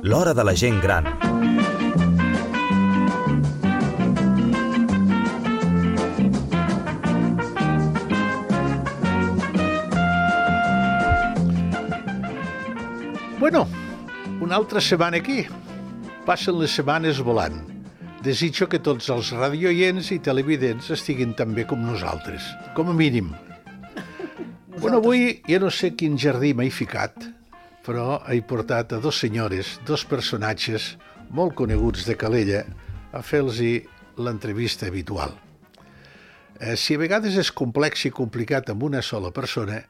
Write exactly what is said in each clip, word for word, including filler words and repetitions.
L'hora de la gent gran. Bueno, una altra setmana aquí. Passen les setmanes volant. Desitjo que tots els radioients i televidents estiguin tan bé com nosaltres, com a mínim. Bueno, avui ja no sé quin jardí m'he ficat, però he portat a dos senyores, dos personatges molt coneguts de Calella, a fer-los l'entrevista habitual. Eh, si a vegades és complex i complicat amb una sola persona,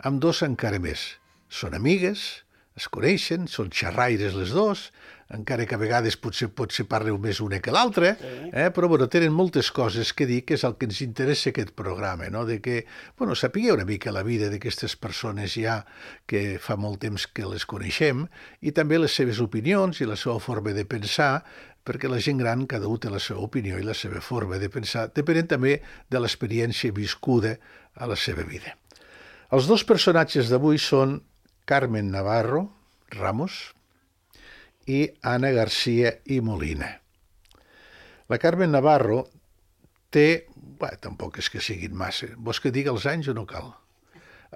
amb dos encara més. Són amigues, es coneixen, són xerraires les dos, encara que a vegades potser, potser parleu més una que l'altra, eh? Però bueno, tenen moltes coses que dir, que és el que ens interessa aquest programa, no? De que, bueno, sapigueu una mica la vida d'aquestes persones ja que fa molt temps que les coneixem, i també les seves opinions i la seva forma de pensar, perquè la gent gran, cada un té la seva opinió i la seva forma de pensar, depenent també de l'experiència viscuda a la seva vida. Els dos personatges d'avui són Carmen Navarro Ramos i Anna García i Molina. La Carmen Navarro té... Bé, tampoc és que siguin massa. Vols que digui els anys o no cal?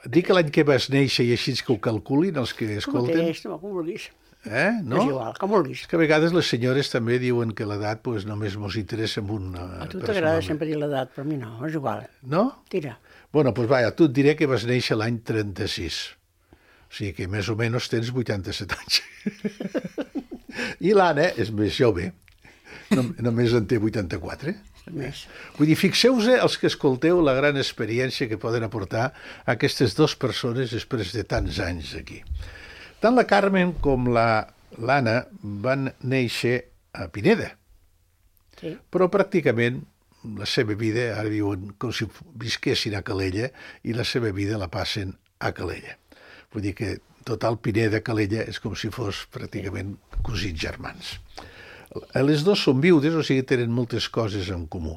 Dic l'any que vas néixer i així que ho calculin els que escolten. Com mateix, com vulguis. Eh? No? És igual, com vulguis. És que a vegades les senyores també diuen que l'edat pues, només mos interessa en una... A tu t'agrada sempre dir l'edat, però a mi no, és igual. No? Tira. Bueno, doncs vaja, tu et diré que vas néixer l'any trenta-sis. O sigui que més o menys tens vuitanta-set anys. I l'Anna és més jove, només en té vuitanta-quatre. Més. Vull dir, fixeu-vos els que escolteu la gran experiència que poden aportar aquestes dues persones després de tants anys aquí. Tant la Carmen com l'Anna van néixer a Pineda, Sí. però pràcticament la seva vida, ara viuen com si visquessin a Calella, i la seva vida la passen a Calella. Vull dir que total Pineda, Calella, és com si fos pràcticament cosins germans. Les dos són viudes, o sigui, tenen moltes coses en comú.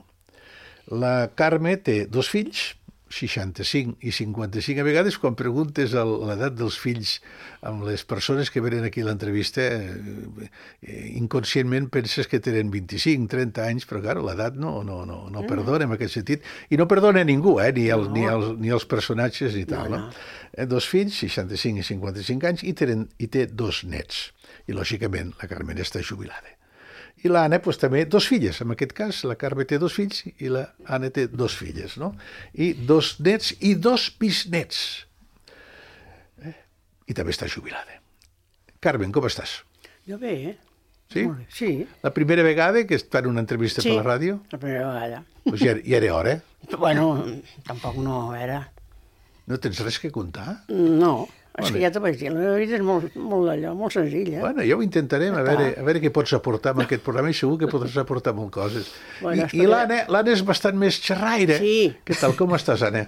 La Carme té dos fills, seixanta-cinc i cinquanta-cinc. A vegades, quan preguntes l'edat dels fills amb les persones que venen aquí a l'entrevista, eh, inconscientment penses que tenen vint-i-cinc, trenta anys, però, clar, l'edat no, no, no, no perdona en aquest sentit. I no perdona a ningú, eh? ni, el, ni, els, ni els personatges ni tal. No, no. Eh, dos fills, seixanta-cinc i cinquanta-cinc anys, i, tenen, i té dos nets. I, lògicament, la Carmen està jubilada. I l'Anna, doncs, també dos filles. En aquest cas, la Carme té dos fills i l'Anna té dos filles, no? I dos nets i dos bisnets. Eh? I també està jubilada. Carmen, com estàs? Jo bé, eh? Sí? Molt bé. Sí. La primera vegada que es fan una entrevista Sí, per la ràdio? la primera vegada. Pues ja, ja era hora. Bueno, tampoc no era... No tens res que contar? No, és Vale. que ja t'ho vaig dir, la meva vida és molt, molt d'allò, molt senzilla. Bueno, ja ho intentarem, a veure, a veure què pots aportar amb aquest programa, i segur que podràs aportar molt coses. Bueno, I i l'Anna, l'Anna és bastant més xerraire. Sí. Què tal, com estàs, Anna?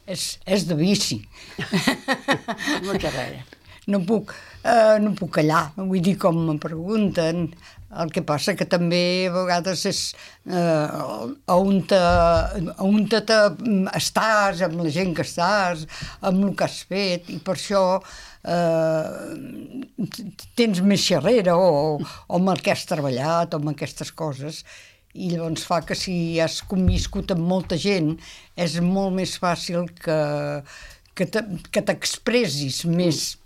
És, és de vici. Molt xerrera. No puc, eh, no puc callar, vull dir, com em pregunten. El que passa que també a vegades és eh, on, te, on te, te estàs, amb la gent que estàs, amb el que has fet, i per això eh, tens més xerrera o, o amb el que has treballat o amb aquestes coses. I llavors fa que si has conviscut amb molta gent és molt més fàcil que, que, te, que t'expressis més.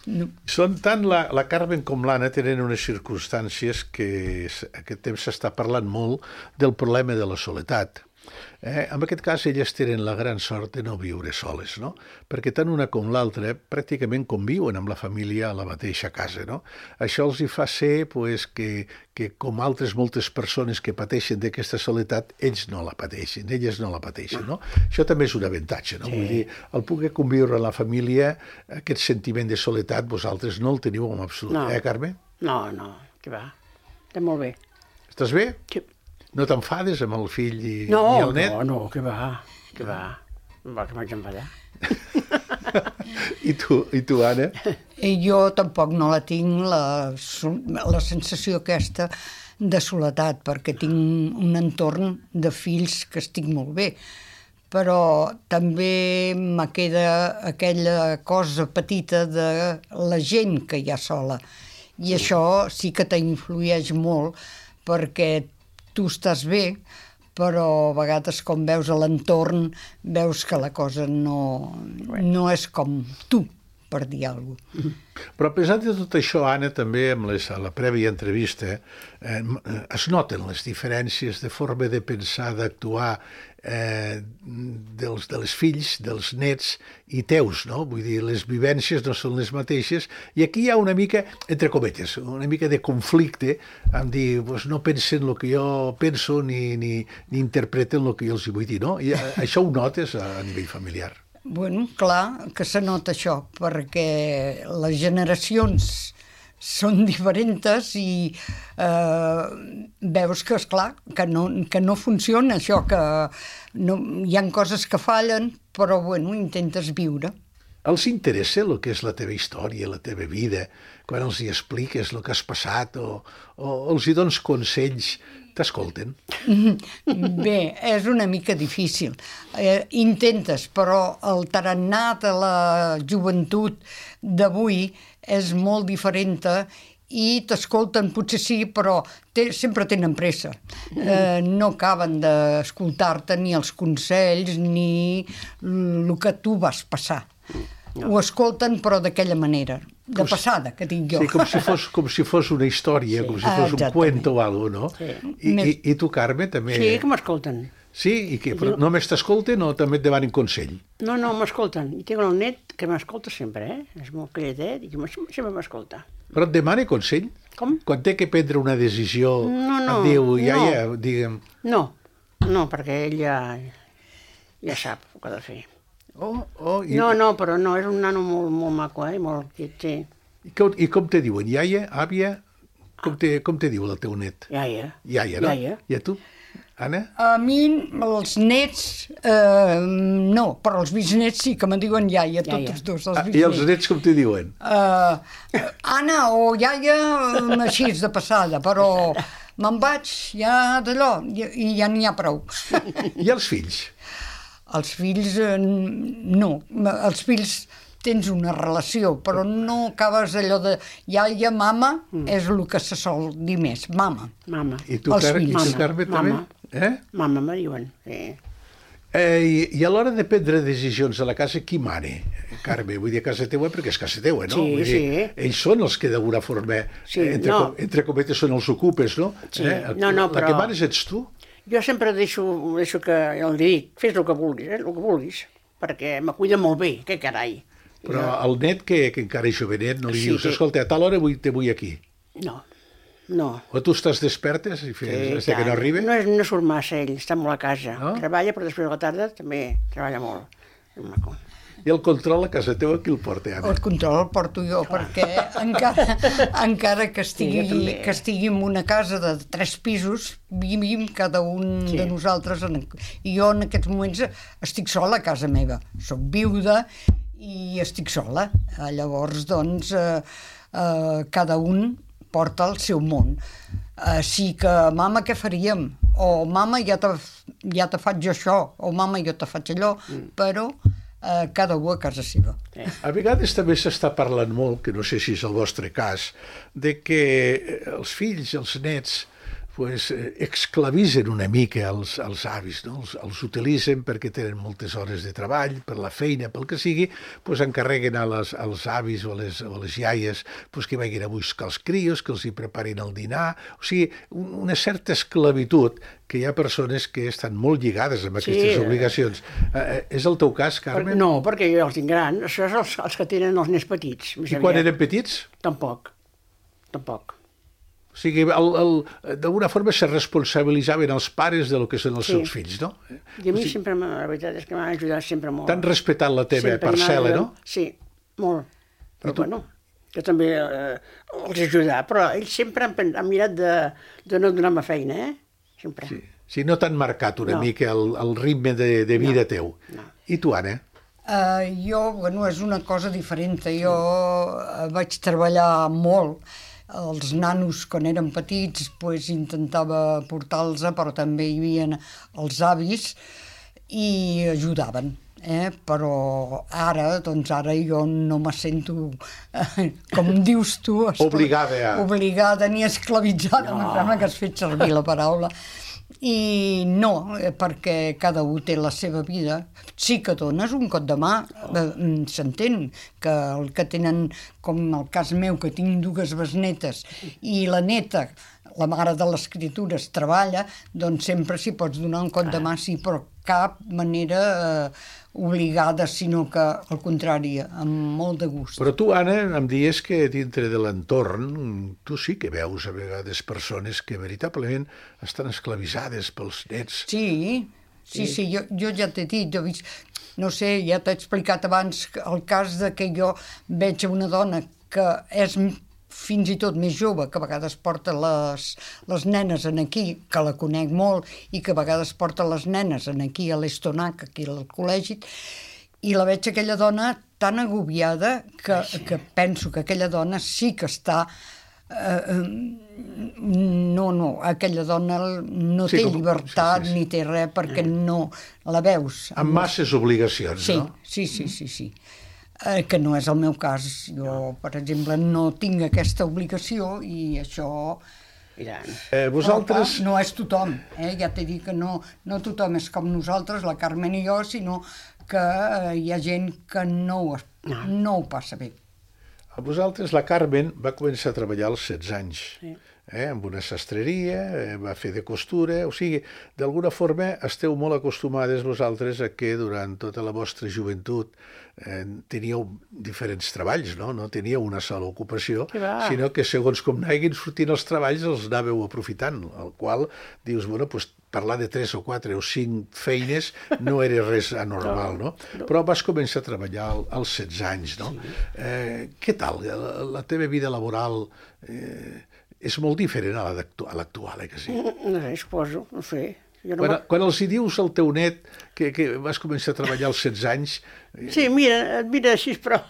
No. Són tant la, la Carmen com l'Anna tenen unes circumstàncies que aquest temps s'està parlant molt del problema de la soledat. Eh, en aquest cas, elles tenen la gran sort de no viure soles, no? Perquè tant una com l'altra pràcticament conviuen amb la família a la mateixa casa, no? Això els hi fa ser pues, que, que, com altres moltes persones que pateixen d'aquesta soledat, ells no la pateixen, elles no la pateixen, no? Això també és un avantatge, no? Sí. Vull dir, el poder conviure a la família, aquest sentiment de soledat, vosaltres no el teniu en absolut, No. eh, Carme? No, no, que va. Està molt bé. Estàs bé? Sí. No t'enfades amb el fill i, No, i el net? no, no, que va, que va. Va, que m'haig d'enfadar. I tu, i tu, Anna? I jo tampoc no la tinc, la, la sensació aquesta de soledat, perquè tinc un entorn de fills que estic molt bé. però també me queda aquella cosa petita de la gent que hi ha sola. I això sí que t'influeix molt, perquè tu estàs bé, però a vegades com veus a l'entorn veus que la cosa no, no és com tu, per dir alguna cosa. Però a pesar de tot això, Anna, també amb les, a la prèvia entrevista eh, es noten les diferències de forma de pensar, d'actuar eh, dels, dels fills, dels nets i teus, no? Vull dir, les vivències no són les mateixes i aquí hi ha una mica, entre cometes, una mica de conflicte en dir, pues, no pensen el que jo penso ni, ni, ni interpreten el que jo els vull dir, no? I això ho notes a, a nivell familiar. Bueno, clar que se nota això, perquè les generacions són diferents i eh, veus que, esclar, que no, que no funciona això, que no, hi ha coses que fallen, però bueno, intentes viure. Els interessa el que és la teva història, la teva vida, quan els hi expliques el que has passat o, o els hi dones consells, t'escolten? Bé, és una mica difícil. Eh, intentes, però el tarannà de la joventut d'avui és molt diferent i t'escolten, potser sí, però te, sempre tenen pressa. Eh, no acaben d'escoltar-te ni els consells ni el que tu vas passar. No. Ho escolten, però d'aquella manera, de passada, que dic jo. Sí, com si fos, com si fos una història, sí. Com si fos ah, un cuento o alguna cosa, no? Sí. I, i, I tu, Carme, també... Sí, que m'escolten. Sí? I que, però només t'escolten o també et demanen consell? No, no, m'escolten. I tinc el net que m'escolta sempre, eh? És molt calladet i sempre m'escolta. Però et demana consell? Com? Quan té que prendre una decisió, no, no, et diu, ja, no. ja, digue'm... No, no, perquè ell ja, ja sap el que ha de fer. Oh, oh, i... No, no, però no, és un nano molt, molt maco, eh? Molt quiet, sí. I com, I com te diuen? Iaia? Àvia? Com te, com te diu el teu net? Iaia. Iaia, no? Iaia. I a tu, Anna? A mi, els nets, eh, no, però els bisnets sí que me diuen iaia, tots iaia. Els dos, els Ah, bisnets. I els nets com te diuen? Uh, Anna o iaia, així de passada, però me'n vaig ja d'allò i, i ja n'hi ha prou. I els fills? Els fills, eh, no. Els fills tens una relació, però no acabes allò de iaia, mama, mm. és el que se sol dir més, mama. Mama. I tu, Car i tu Carme, també? Eh? Mama, me diuen, sí. Eh, i, I a l'hora de prendre decisions a la casa, qui mane? Carme, vull dir a casa teua perquè és casa teua, no? Sí, vull dir, sí. Ells són els que d'alguna forma, sí, entre, no. com, entre cometes, són els ocupes, no? Sí. Eh? No, no, la però... que manes ets tu? Jo sempre deixo, deixo que el dic, fes el que vulguis, eh? El que vulguis, perquè me cuida molt bé, que carai. Però el net, que, que encara és jovenet, no li sí, dius, escolta, a tal hora vull, te vull aquí. No, no. O tu estàs despertes i fes, sí, que no arriba? No, no surt massa ell, està molt a casa. No? Treballa, però després de la tarda també treballa molt. És maco. I el control a casa teva qui el porta, Anna? El control el porto jo, clar. Perquè encara, encara que, estigui, sí, que estigui en una casa de tres pisos, vivim cada un sí. de nosaltres. En, I jo en aquests moments estic sola a casa meva. Soc viuda i estic sola. Llavors, doncs, eh, eh, cada un porta el seu món. Eh, sí que, mama, què faríem? O, mama, ja te, ja te faig això, o, mama, jo te faig allò, mm. però... Uh, cada un a casa seva. A vegades també s'està parlant molt, que no sé si és el vostre cas, de que els fills, els nets, pues, exclavisen una mica els, els avis, no? els, els utilitzen perquè tenen moltes hores de treball, per la feina, pel que sigui, pues, encarreguen a les, als avis o a les, o a les iaies pues, que vagin a buscar els crios, que els hi preparin el dinar, o sigui, una certa esclavitud que hi ha persones que estan molt lligades amb aquestes sí. obligacions. Eh, és el teu cas, Carme? Per, no, perquè jo els tinc grans, això és els, els que tenen els nens petits. I quan eren petits? Tampoc, tampoc. O sigui, d'alguna forma se responsabilitzaven els pares de lo que són els sí. seus fills, no? I a mi o sigui, sempre, la veritat és que m'han ajudat sempre molt. T'han respectat la teva sempre parcel·la, no? Sí, molt. Però bueno, que també eh, els he ajudat, però ells sempre han, han mirat de, de no donar-me feina, eh? Sempre. Sí, sí no t'han marcat una no. mica el, el ritme de, de vida no. teu. No. I tu, Anna? Uh, jo, bueno, és una cosa diferent. Jo uh, vaig treballar molt. Els nanos, quan eren petits, pues, intentava portar-los, però també hi havia els avis, i ajudaven. Eh? Però ara, doncs ara jo no me sento, eh, com dius tu, obligada a... obligada ni esclavitzada, no. Em sembla que has fet servir la paraula. I no, perquè cada un té la seva vida. Sí que dones un cop de mà, eh, s'entén que el que tenen, com el cas meu, que tinc dues besnetes, i la neta, la mare de les criatures, treballa, doncs sempre s'hi pots donar un cop de mà, sí, però cap manera eh, obligada, sinó que, al contrari, amb molt de gust. Però tu, Anna, em dies que dintre de l'entorn tu sí que veus a vegades persones que veritablement estan esclavitzades pels nets. Sí, sí, sí, jo, jo ja t'he dit, jo he vist, no sé, ja t'he explicat abans el cas de que jo veig una dona que és fins i tot més jove, que a vegades porta les, les nenes en aquí, que la conec molt, i que a vegades porta les nenes en aquí a l'Estonac, aquí al col·legi, i la veig aquella dona tan agobiada que, que penso que aquella dona sí que està... Eh, no, no, aquella dona no sí, té com, llibertat sí, sí, sí. ni té res perquè no la veus. Amb masses obligacions, sí, no? Sí, sí, sí, sí. Eh, que no és el meu cas. Jo, per exemple, no tinc aquesta obligació i això... Eh, vosaltres... No, no és tothom, eh? Ja t'he dit que no, no tothom és com nosaltres, la Carmen i jo, sinó que eh, hi ha gent que no ho, no ho passa bé. A vosaltres, la Carmen va començar a treballar als setze anys, sí. eh, amb una sastreria, eh, va fer de costura, o sigui, d'alguna forma esteu molt acostumades vosaltres a que durant tota la vostra joventut eh, teníeu diferents treballs, no? No teníeu una sola ocupació, sinó que segons com anaven sortint els treballs els anàveu aprofitant, el qual dius, bueno, doncs parlar de tres o quatre o cinc feines no era res anormal, no? no? Però vas començar a treballar als setze anys, no? Sí. Eh, què tal? La, la teva vida laboral eh, és molt diferent a l'actual, eh, que sí? No sé, suposo, no sé. Jo no quan, quan els hi dius al teu net que, que vas començar a treballar als setze anys... Eh... Sí, mira, et mira així, però...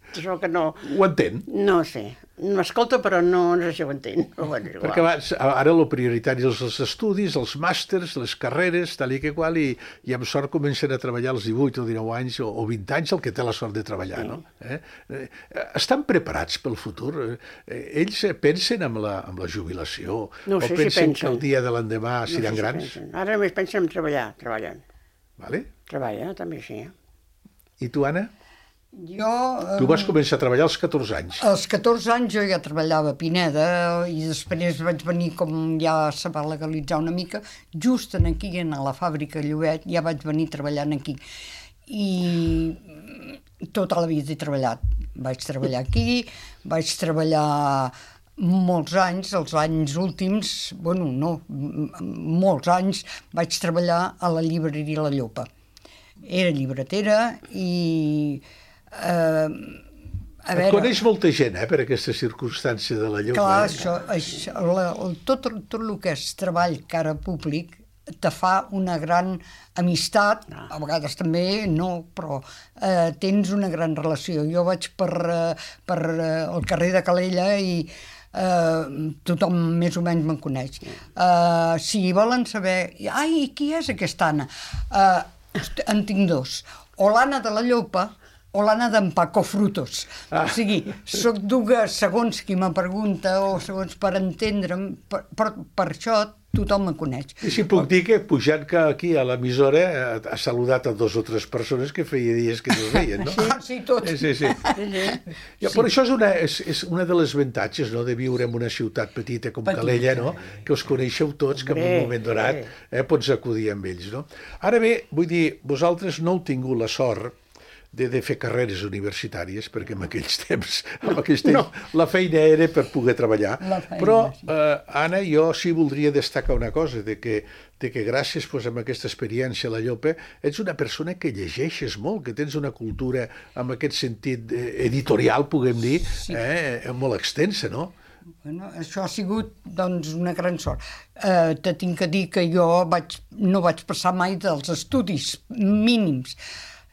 Això que no... Ho entén? No sé. M'escolta, però no, no sé si ho entén. Però bueno, igual. Perquè abans, ara el prioritari és els estudis, els màsters, les carreres, tal i que qual, i, i amb sort comencen a treballar als divuit o dinou anys o, o vint anys, el que té la sort de treballar, sí. no? Eh? Eh, estan preparats pel futur? Eh, ells pensen en la, en la jubilació? No sé o pensen, si pensen que el dia de l'endemà no seran sé si grans? Pensen. Ara només pensen en treballar, treballant. Vale? Treballa, també sí. I tu, Anna? Jo... Tu vas començar a treballar als catorze anys. Als catorze anys jo ja treballava a Pineda i després vaig venir, com ja se va legalitzar una mica, just en aquí, en la fàbrica Llobet, ja vaig venir treballant aquí. I tota la vida he treballat. Vaig treballar aquí, vaig treballar molts anys, els anys últims, bueno, no, molts anys, vaig treballar a la llibreria La Llopa. Era llibretera i... Uh, a veure, et coneix molta gent, eh, per aquesta circumstància de La Llopa. Clar, eh? això, això la, tot, tot el que és treball cara públic te fa una gran amistat, a vegades també no, però eh, tens una gran relació. Jo vaig per, eh, per eh, el carrer de Calella i eh, tothom més o menys me'n coneix. Eh, si volen saber, ai, qui és aquesta Anna? Eh, en tinc dos. O l'Anna de La Llopa o l'Anna d'en Paco Frutos. Ah. O sigui, soc dues, segons qui me pregunta o segons per entendre'm, per, per, per això tothom me coneix. I si puc dir que pujant que aquí a l'emissora ha saludat a dos o tres persones que feia dies que no es veien, no? Ah, sí, tots. Sí, sí. sí. Ja, però això és una, és, és una de les avantatges, no?, de viure en una ciutat petita com petita. Calella, no?, que us coneixeu tots, que en un moment donat eh, pots acudir amb ells, no? Ara bé, vull dir, vosaltres no heu tingut la sort de, de fer carreres universitàries, perquè en aquells temps, no, en aquells temps no. la feina era per poder treballar. Feina, però, sí. eh, Anna, jo sí voldria destacar una cosa, de que, de que gràcies pues, a aquesta experiència a La Llopa, ets una persona que llegeixes molt, que tens una cultura, en aquest sentit editorial, puguem dir, sí. eh, molt extensa, no? Bueno, això ha sigut doncs, una gran sort. Eh, te tinc que dir que jo vaig, no vaig passar mai dels estudis mínims.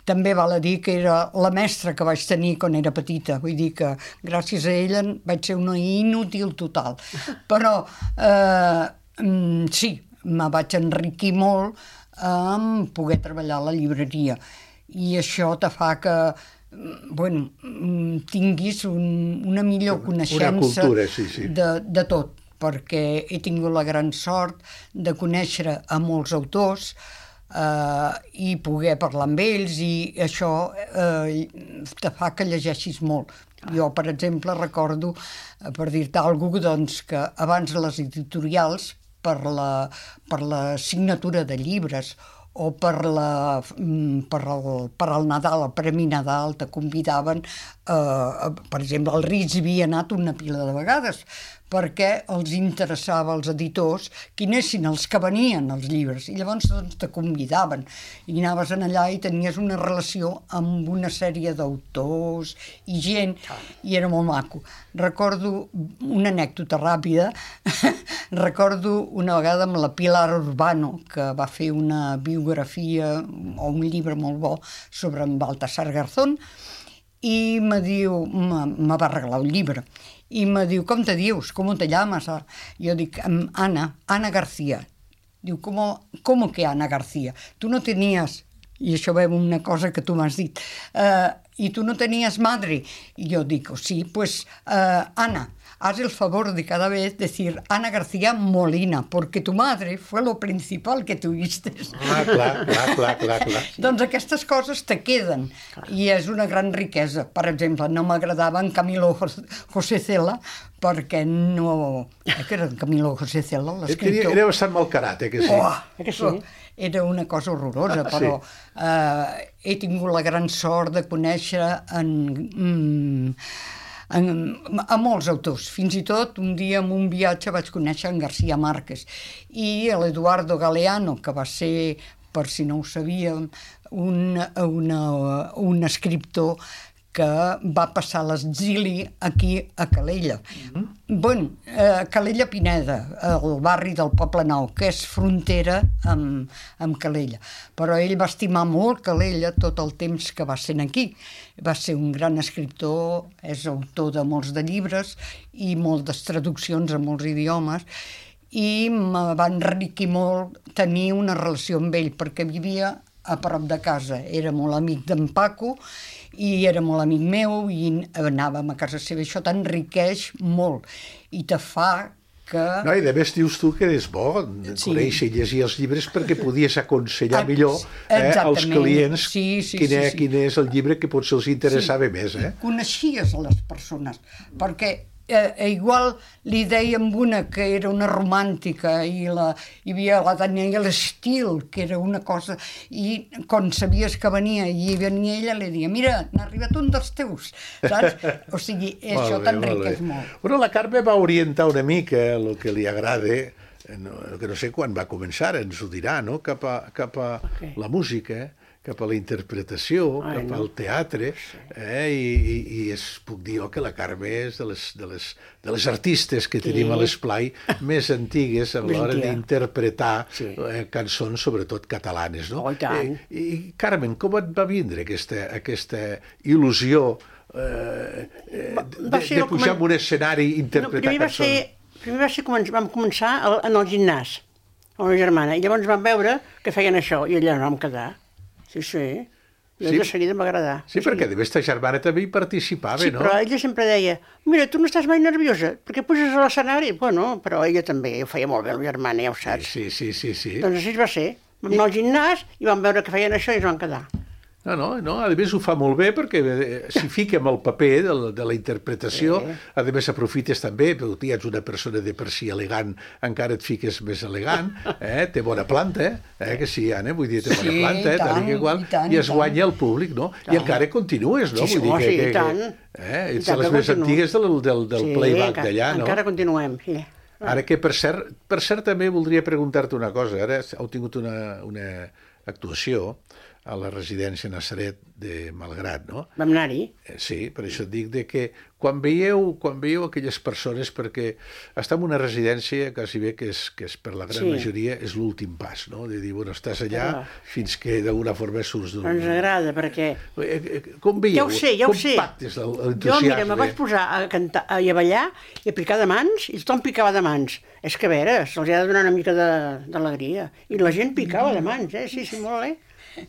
També val a dir que era la mestra que vaig tenir quan era petita, vull dir que gràcies a ella vaig ser una inútil total. Però eh, sí, me vaig enriquir molt amb poder treballar a la llibreria. I això te fa que bueno, tinguis un, una millor coneixença una cultura, sí, sí. De, de tot, perquè he tingut la gran sort de conèixer a molts autors eh, i poder parlar amb ells, i això eh, te fa que llegeixis molt. Jo, per exemple, recordo, per dir-te alguna cosa, doncs, que abans les editorials, per la, per la signatura de llibres o per, la, per, el, per el Nadal, el Premi Nadal, te convidaven, eh, per exemple, el Ritz havia anat una pila de vegades, perquè els interessava als editors que anessin els que venien als llibres, i llavors doncs, te convidaven, i anaves allà i tenies una relació amb una sèrie d'autors i gent, i era molt maco. Recordo una anècdota ràpida, recordo una vegada amb la Pilar Urbano, que va fer una biografia o un llibre molt bo sobre en Baltasar Garzón, i me diu, me va regalar un llibre, i me diu, com te dius? Com te llamas? Jo dic, Ana, Ana García. Diu, ¿cómo, cómo que Ana García? Tu no tenies, i això ve una cosa que tu m'has dit, uh, i tu no tenies madre? I jo dic, sí, pues, uh, Ana, haz el favor de cada vez decir Ana García Molina, porque tu madre fue lo principal que tuviste. Ah, clar, clar, clar, clar, clar. Doncs aquestes coses te queden, clar. I és una gran riquesa. Per exemple, no m'agradava en Camilo José Cela, perquè no... Eh, que era en Camilo José Cela, l'escriptor. Era bastant malcarat, eh, que sí? Oh, que sí? Era una cosa horrorosa, però sí. eh, he tingut la gran sort de conèixer en... Mm, En, a molts autors. Fins i tot un dia en un viatge vaig conèixer en García Márquez i l'Eduardo Galeano, que va ser, per si no ho sabíem, un, una, un escriptor que va passar l'exili aquí a Calella. Mm-hmm. Bueno, eh, Calella Pineda, el barri del Poble Nou, que és frontera amb, amb Calella. Però ell va estimar molt Calella tot el temps que va ser aquí. Va ser un gran escriptor, és autor de molts de llibres i moltes traduccions a molts idiomes, i me va enriquir molt tenir una relació amb ell, perquè vivia a prop de casa. Era molt amic d'en Paco i era molt amic meu i anàvem a casa seva. Això t'enriqueix molt i te fa que... No, i de més dius tu que és bo sí. conèixer i llegir els llibres perquè podies aconsellar Ex millor eh, als clients sí, sí, quin, sí, és, sí. quin és el llibre que potser els interessava sí. més. Eh? Coneixies les persones, perquè eh, igual li dèiem una que era una romàntica i la, hi havia la Daniela Steele, que era una cosa, i quan sabies que venia i venia ella, li deia, mira, n'ha arribat un dels teus, saps? O sigui, això t'enriqueix molt, molt. Bueno, la Carme va orientar una mica el que li agrada, no, que no sé quan va començar, ens ho dirà, no? cap a, cap a okay. la música, cap a la interpretació, Ai, cap no. al teatre, eh? I, i, i es puc dir jo que la Carme és de les, de les, de les artistes que sí. tenim a l'esplai més antigues a l'hora d'interpretar sí. eh, cançons, sobretot catalanes. No? Oh, i tant. I, I, Carmen, com et va vindre aquesta, aquesta il·lusió eh, de, de, de pujar en un escenari i interpretar no, cançons? Ser, primer va ser, vam començar en el gimnàs, amb la germana, i llavors vam veure que feien això, i allà no vam quedar. Sí, sí. I sí. de seguida m'agradar. Sí, perquè de ta germana també hi participava, sí, no? Sí, però ella sempre deia, mira, tu no estàs mai nerviosa, perquè puges a l'escenari. Bueno, però ella també ho feia molt bé, la germana, ja ho saps. Sí, sí, sí, sí. Doncs així va ser. Vam anar al gimnàs i vam veure que feien això i ens vam quedar. No, no, no, a més ho fa molt bé perquè s'hi fica amb el paper de la, de la interpretació, sí. a més aprofites també, però tu ets una persona de per si elegant, encara et fiques més elegant, eh? té bona planta, eh? que sí, Anna, vull dir, té bona sí, planta, eh? tant, igual, i, tant, i es guanya el públic, no? Tant. I encara continues, no? Sí, vull dir oh, que, sí, que, i tant. Eh? Ets de les més antigues del, del, del sí, playback d'allà, no? encara continuem, sí. Ara que, per cert, per cert també voldria preguntar-te una cosa, ara heu tingut una, una actuació a la residència Nazaret de Malgrat, no? Vam anar-hi. Eh, Sí, per això et dic de que quan veieu, quan veieu aquelles persones, perquè estar en una residència quasi bé que és, que és per la gran Sí. majoria és l'últim pas, no? De dir, bueno, estàs allà Ah. fins que d'alguna forma surts d'un... Ens agrada, perquè... Eh, eh, Com veieu? Ja ho sé, ja ho Com sé. pactes el- Jo, l'entusiasme? mira, me vaig posar a cantar i a ballar i a picar de mans, i tothom picava de mans. És que, a veure, se'ls ha de donar una mica de- d'alegria. I la gent picava de mans, eh? Sí, sí, molt bé.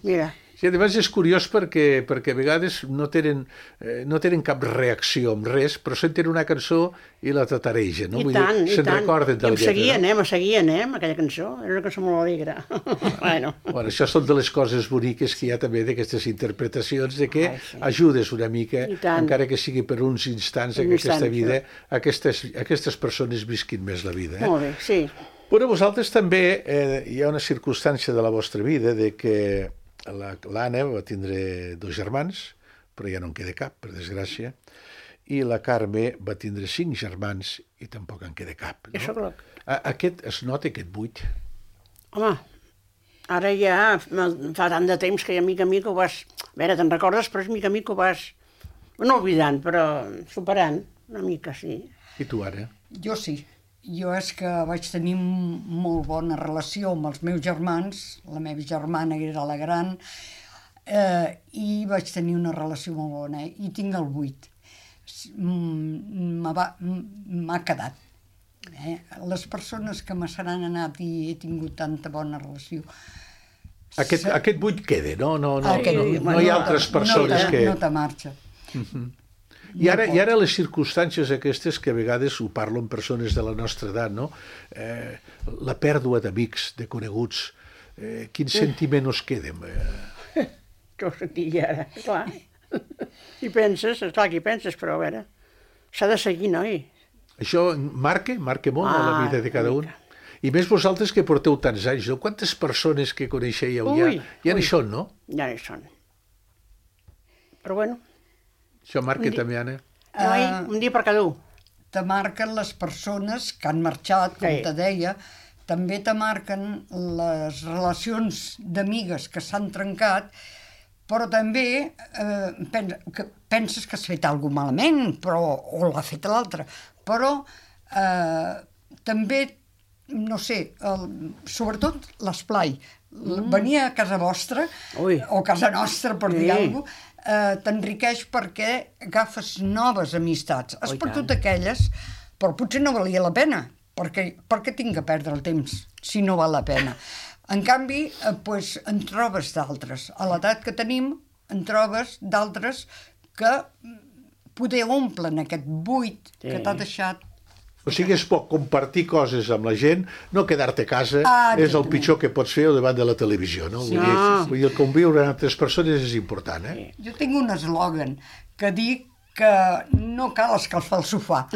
Mira, Sí, a més és curiós perquè, perquè a vegades no tenen, eh, no tenen cap reacció amb res, però senten una cançó i la tataregen, no? i Vull tant, dir, i se'n tant. recorden de I la em lletra, seguia, no? anem, a seguir, anem, aquella cançó. Era una cançó molt alegre. Bueno, Bueno, això són de les coses boniques que hi ha també d'aquestes interpretacions, de que Ai, sí. ajudes una mica, I tant. encara que sigui per uns instants, Un en aquesta instant, vida, aquestes, aquestes persones visquin més la vida. Eh? molt bé, sí. Bueno, vosaltres també eh, hi ha una circumstància de la vostra vida de que la- l'Anna va tindre dos germans, però ja no en queda cap, per desgràcia, i la Carme va tindre cinc germans i tampoc en queda cap. Jo sóc No? la... A- Aquest, es nota aquest buit? Home, ara ja fa tant de temps que ja mica a mica ho vas... A veure, te'n recordes, però és mica a mica ho vas... No oblidant, però superant. Una mica, sí. I tu, ara? Jo sí. Jo és que vaig tenir m- molt bona relació amb els meus germans, la meva germana era la gran, eh, i vaig tenir una relació molt bona, i tinc el vuit. S- mm, m'ha va- m- M'ha quedat. Eh? Les persones que me se n'han anat i he tingut tanta bona relació. Aquest, Se- aquest buit queda, no? No, no, Aquest no, buit, no hi ha no te- altres persones no te, que... No te marxa. I ara, I ara les circumstàncies aquestes que a vegades ho parlo amb persones de la nostra edat, no? Eh, la pèrdua d'amics, de coneguts, eh, quin sentiment us queda? Eh, Jo ho sentia ara, clar. I penses, clar que hi penses, però a veure, s'ha de seguir, noi. això marca, marca molt a la Ah, vida de cada una un. mica. I més vosaltres que porteu tants anys, no? Quantes persones que coneixeu ja, Ui, ja ui. n'hi són, no? Ja no hi són. Però bueno, Això marca Un di- també, Anna. noi, Ah. un dia per cada un. Te marquen les persones que han marxat, com Sí. te deia, també te marquen les relacions d'amigues que s'han trencat, però també eh, pen, que penses que has fet alguna malament, però, o l'ha fet l'altre, però eh, també, no sé, el, sobretot l'esplai. Mm. Venir a casa vostra, Ui. o casa nostra, per Sí. dir alguna cosa, eh, t'enriqueix perquè agafes noves amistats. Has Oh, i perdut tant. aquelles, però potser no valia la pena, perquè per què tinc que perdre el temps si no val la pena? En canvi, eh, pues, en trobes d'altres. A l'edat que tenim, en trobes d'altres que mm, poder omplen aquest buit Sí. que t'ha deixat. O sigui, es pot compartir coses amb la gent, no quedar-te a casa, Ah, és el exactament. pitjor que pots fer davant de la televisió, no? Vull, dir, Ah. vull dir, el conviure amb altres persones és important, eh? Jo tinc un eslògan que dic que no cal escalfar el sofà,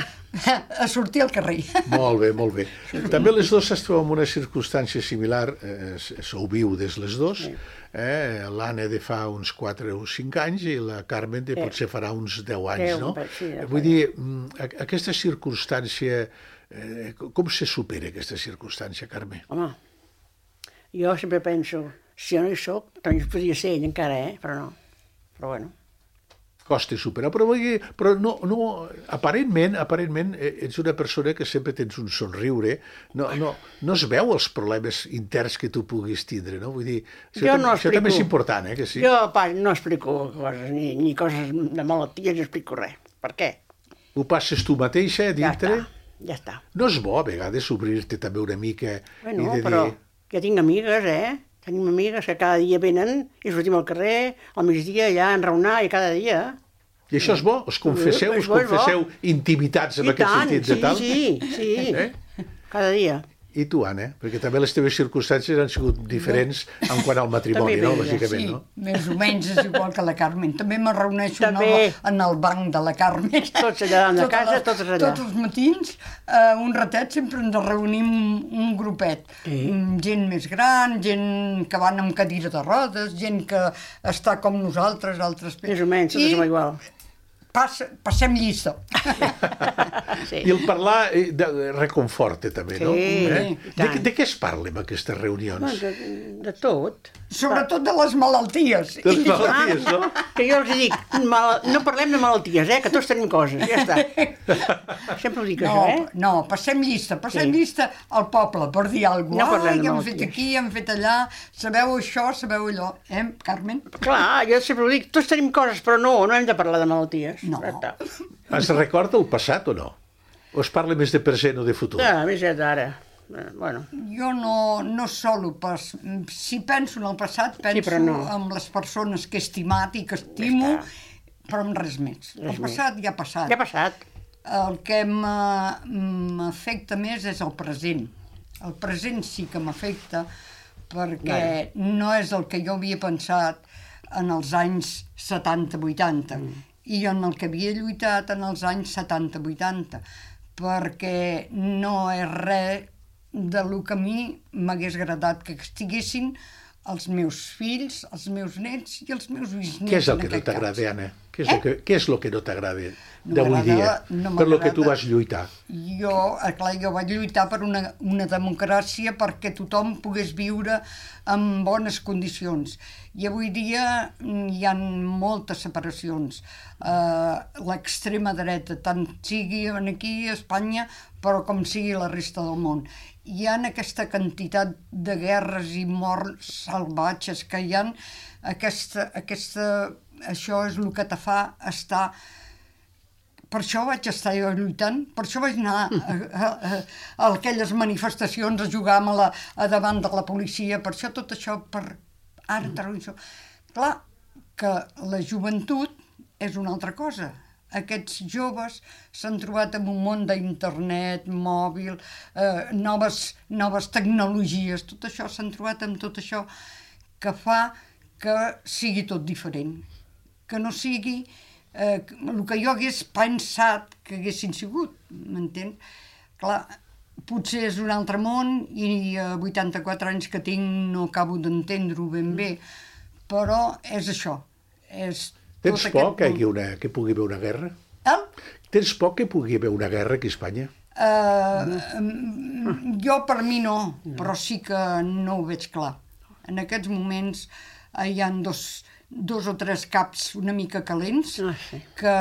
a sortir al carrer. Molt bé, molt bé. També les dues es troben en una circumstància similar, eh, sou viudes les dues, eh? L'Anna de fa uns quatre o cinc anys i la Carmen de Sí. potser farà uns deu anys, Deu, no? sí, deu Vull dir, mm, a- aquesta circumstància, eh, com se supera aquesta circumstància, Carme? Home, jo sempre penso, si jo no hi soc, també podria ser ell encara, eh? Però no. Però bueno. Costa superar, però, vull dir, però no, no, aparentment, aparentment eh, ets una persona que sempre tens un somriure, no, no, no es veu els problemes interns que tu puguis tindre, no? Vull dir, això, Jo tam no això també és explico. important, eh, que sí? Jo, pa, no explico coses, ni, ni coses de malalties, no explico res. Per què? Ho passes tu mateixa a Ja dintre? està, ja està. No és bo a vegades obrir-te també una mica Bueno, i de però dir... ja tinc amigues, eh? Tenim amigues que cada dia venen i sortim al carrer, al migdia allà a enraonar i cada dia. I això és bo? Us confesseu, és us bo, és bo. confesseu intimitats en I aquest tant, sentit sí, de tal? sí, sí, Eh? cada dia. I tu, Anna? Perquè també les teves circumstàncies han sigut diferents en quant al matrimoni, També no? ben bé, Bàsicament, Sí, no? més o menys és igual que la Carmen. També me reuneixo en També. el, en el banc de la Carmen. Tots allà de Totes casa, les- totes allà. Tots els matins, eh, un ratet, sempre ens reunim un grupet. Sí. Mm, Gent més gran, gent que van amb cadira de rodes, gent que està com nosaltres, altres... Més o menys, tots I som igual. Passa, passem llista. Sí. I el parlar eh, de, reconforta també, no? Sí, Eh? i De, tant. de què es parla en aquestes reunions? De, de tot. Sobretot de les malalties. De les malalties, no? Que jo els dic, mal, no parlem de malalties, eh? Que tots tenim coses, ja està. Sempre ho dic, No, això, eh? no, passem llista, passem Sí. llista al poble per dir alguna No cosa. parlem de Ai, hem fet malalties. aquí, hem fet allà, sabeu això, sabeu allò. Eh, Carmen? Clar, jo sempre ho dic, tots tenim coses, però no, no hem de parlar de malalties. No. Ja està. Es recorda el passat o no? O es parla més de present o de futur? Ja, més ja d'ara. Eh, Bueno, Jo no, no solo pas... Si penso en el passat, penso però no. en les persones que he estimat i que estimo, Ja però en res més. Res el passat ja ha passat. ja ha passat. El que m'ha- m'afecta més és el present. El present sí que m'afecta perquè no és el que jo havia pensat en els anys setanta vuitanta Mm. i en el que havia lluitat en els anys setanta vuitanta, perquè no és res de lo que a mi m'hagués agradat que estiguessin els meus fills, els meus nets i els meus bisnets. Què és el en que no aquest cas. t'agrada, Anna? Què és, Eh? el que, què és el que no t'agrada No d'avui dia? m'agrada- no per lo que tu m'agrada. vas lluitar. Jo, eh, clar, jo vaig lluitar per una, una democràcia perquè tothom pogués viure en bones condicions. I avui dia mm, hi ha moltes separacions. Uh, L'extrema dreta, tant sigui aquí a Espanya, però com sigui la resta del món. Hi ha aquesta quantitat de guerres i morts salvatges que hi ha, aquesta, aquesta, això és el que te fa estar... Per això vaig estar jo lluitant, per això vaig anar a, a, a, a aquelles manifestacions a jugar a, la, a davant de la policia, per això tot això, per ara, mm. això. Clar, que la joventut és una altra cosa. Aquests joves s'han trobat en un món d'internet, mòbil, eh, noves, noves tecnologies, tot això, s'han trobat amb tot això que fa que sigui tot diferent, que no sigui eh, el que jo hagués pensat que haguessin sigut, m'entens? Clar, potser és un altre món i a vuitanta-quatre anys que tinc no acabo d'entendre-ho ben bé, però és això. És Tens tot por que, aquest hi hagi una, que pugui haver una guerra? Eh? Tens por que pugui haver una guerra aquí a Espanya? Uh, jo per mi no, però sí que no ho veig clar. En aquests moments eh, hi ha dos, dos o tres caps una mica calents Ah, sí. que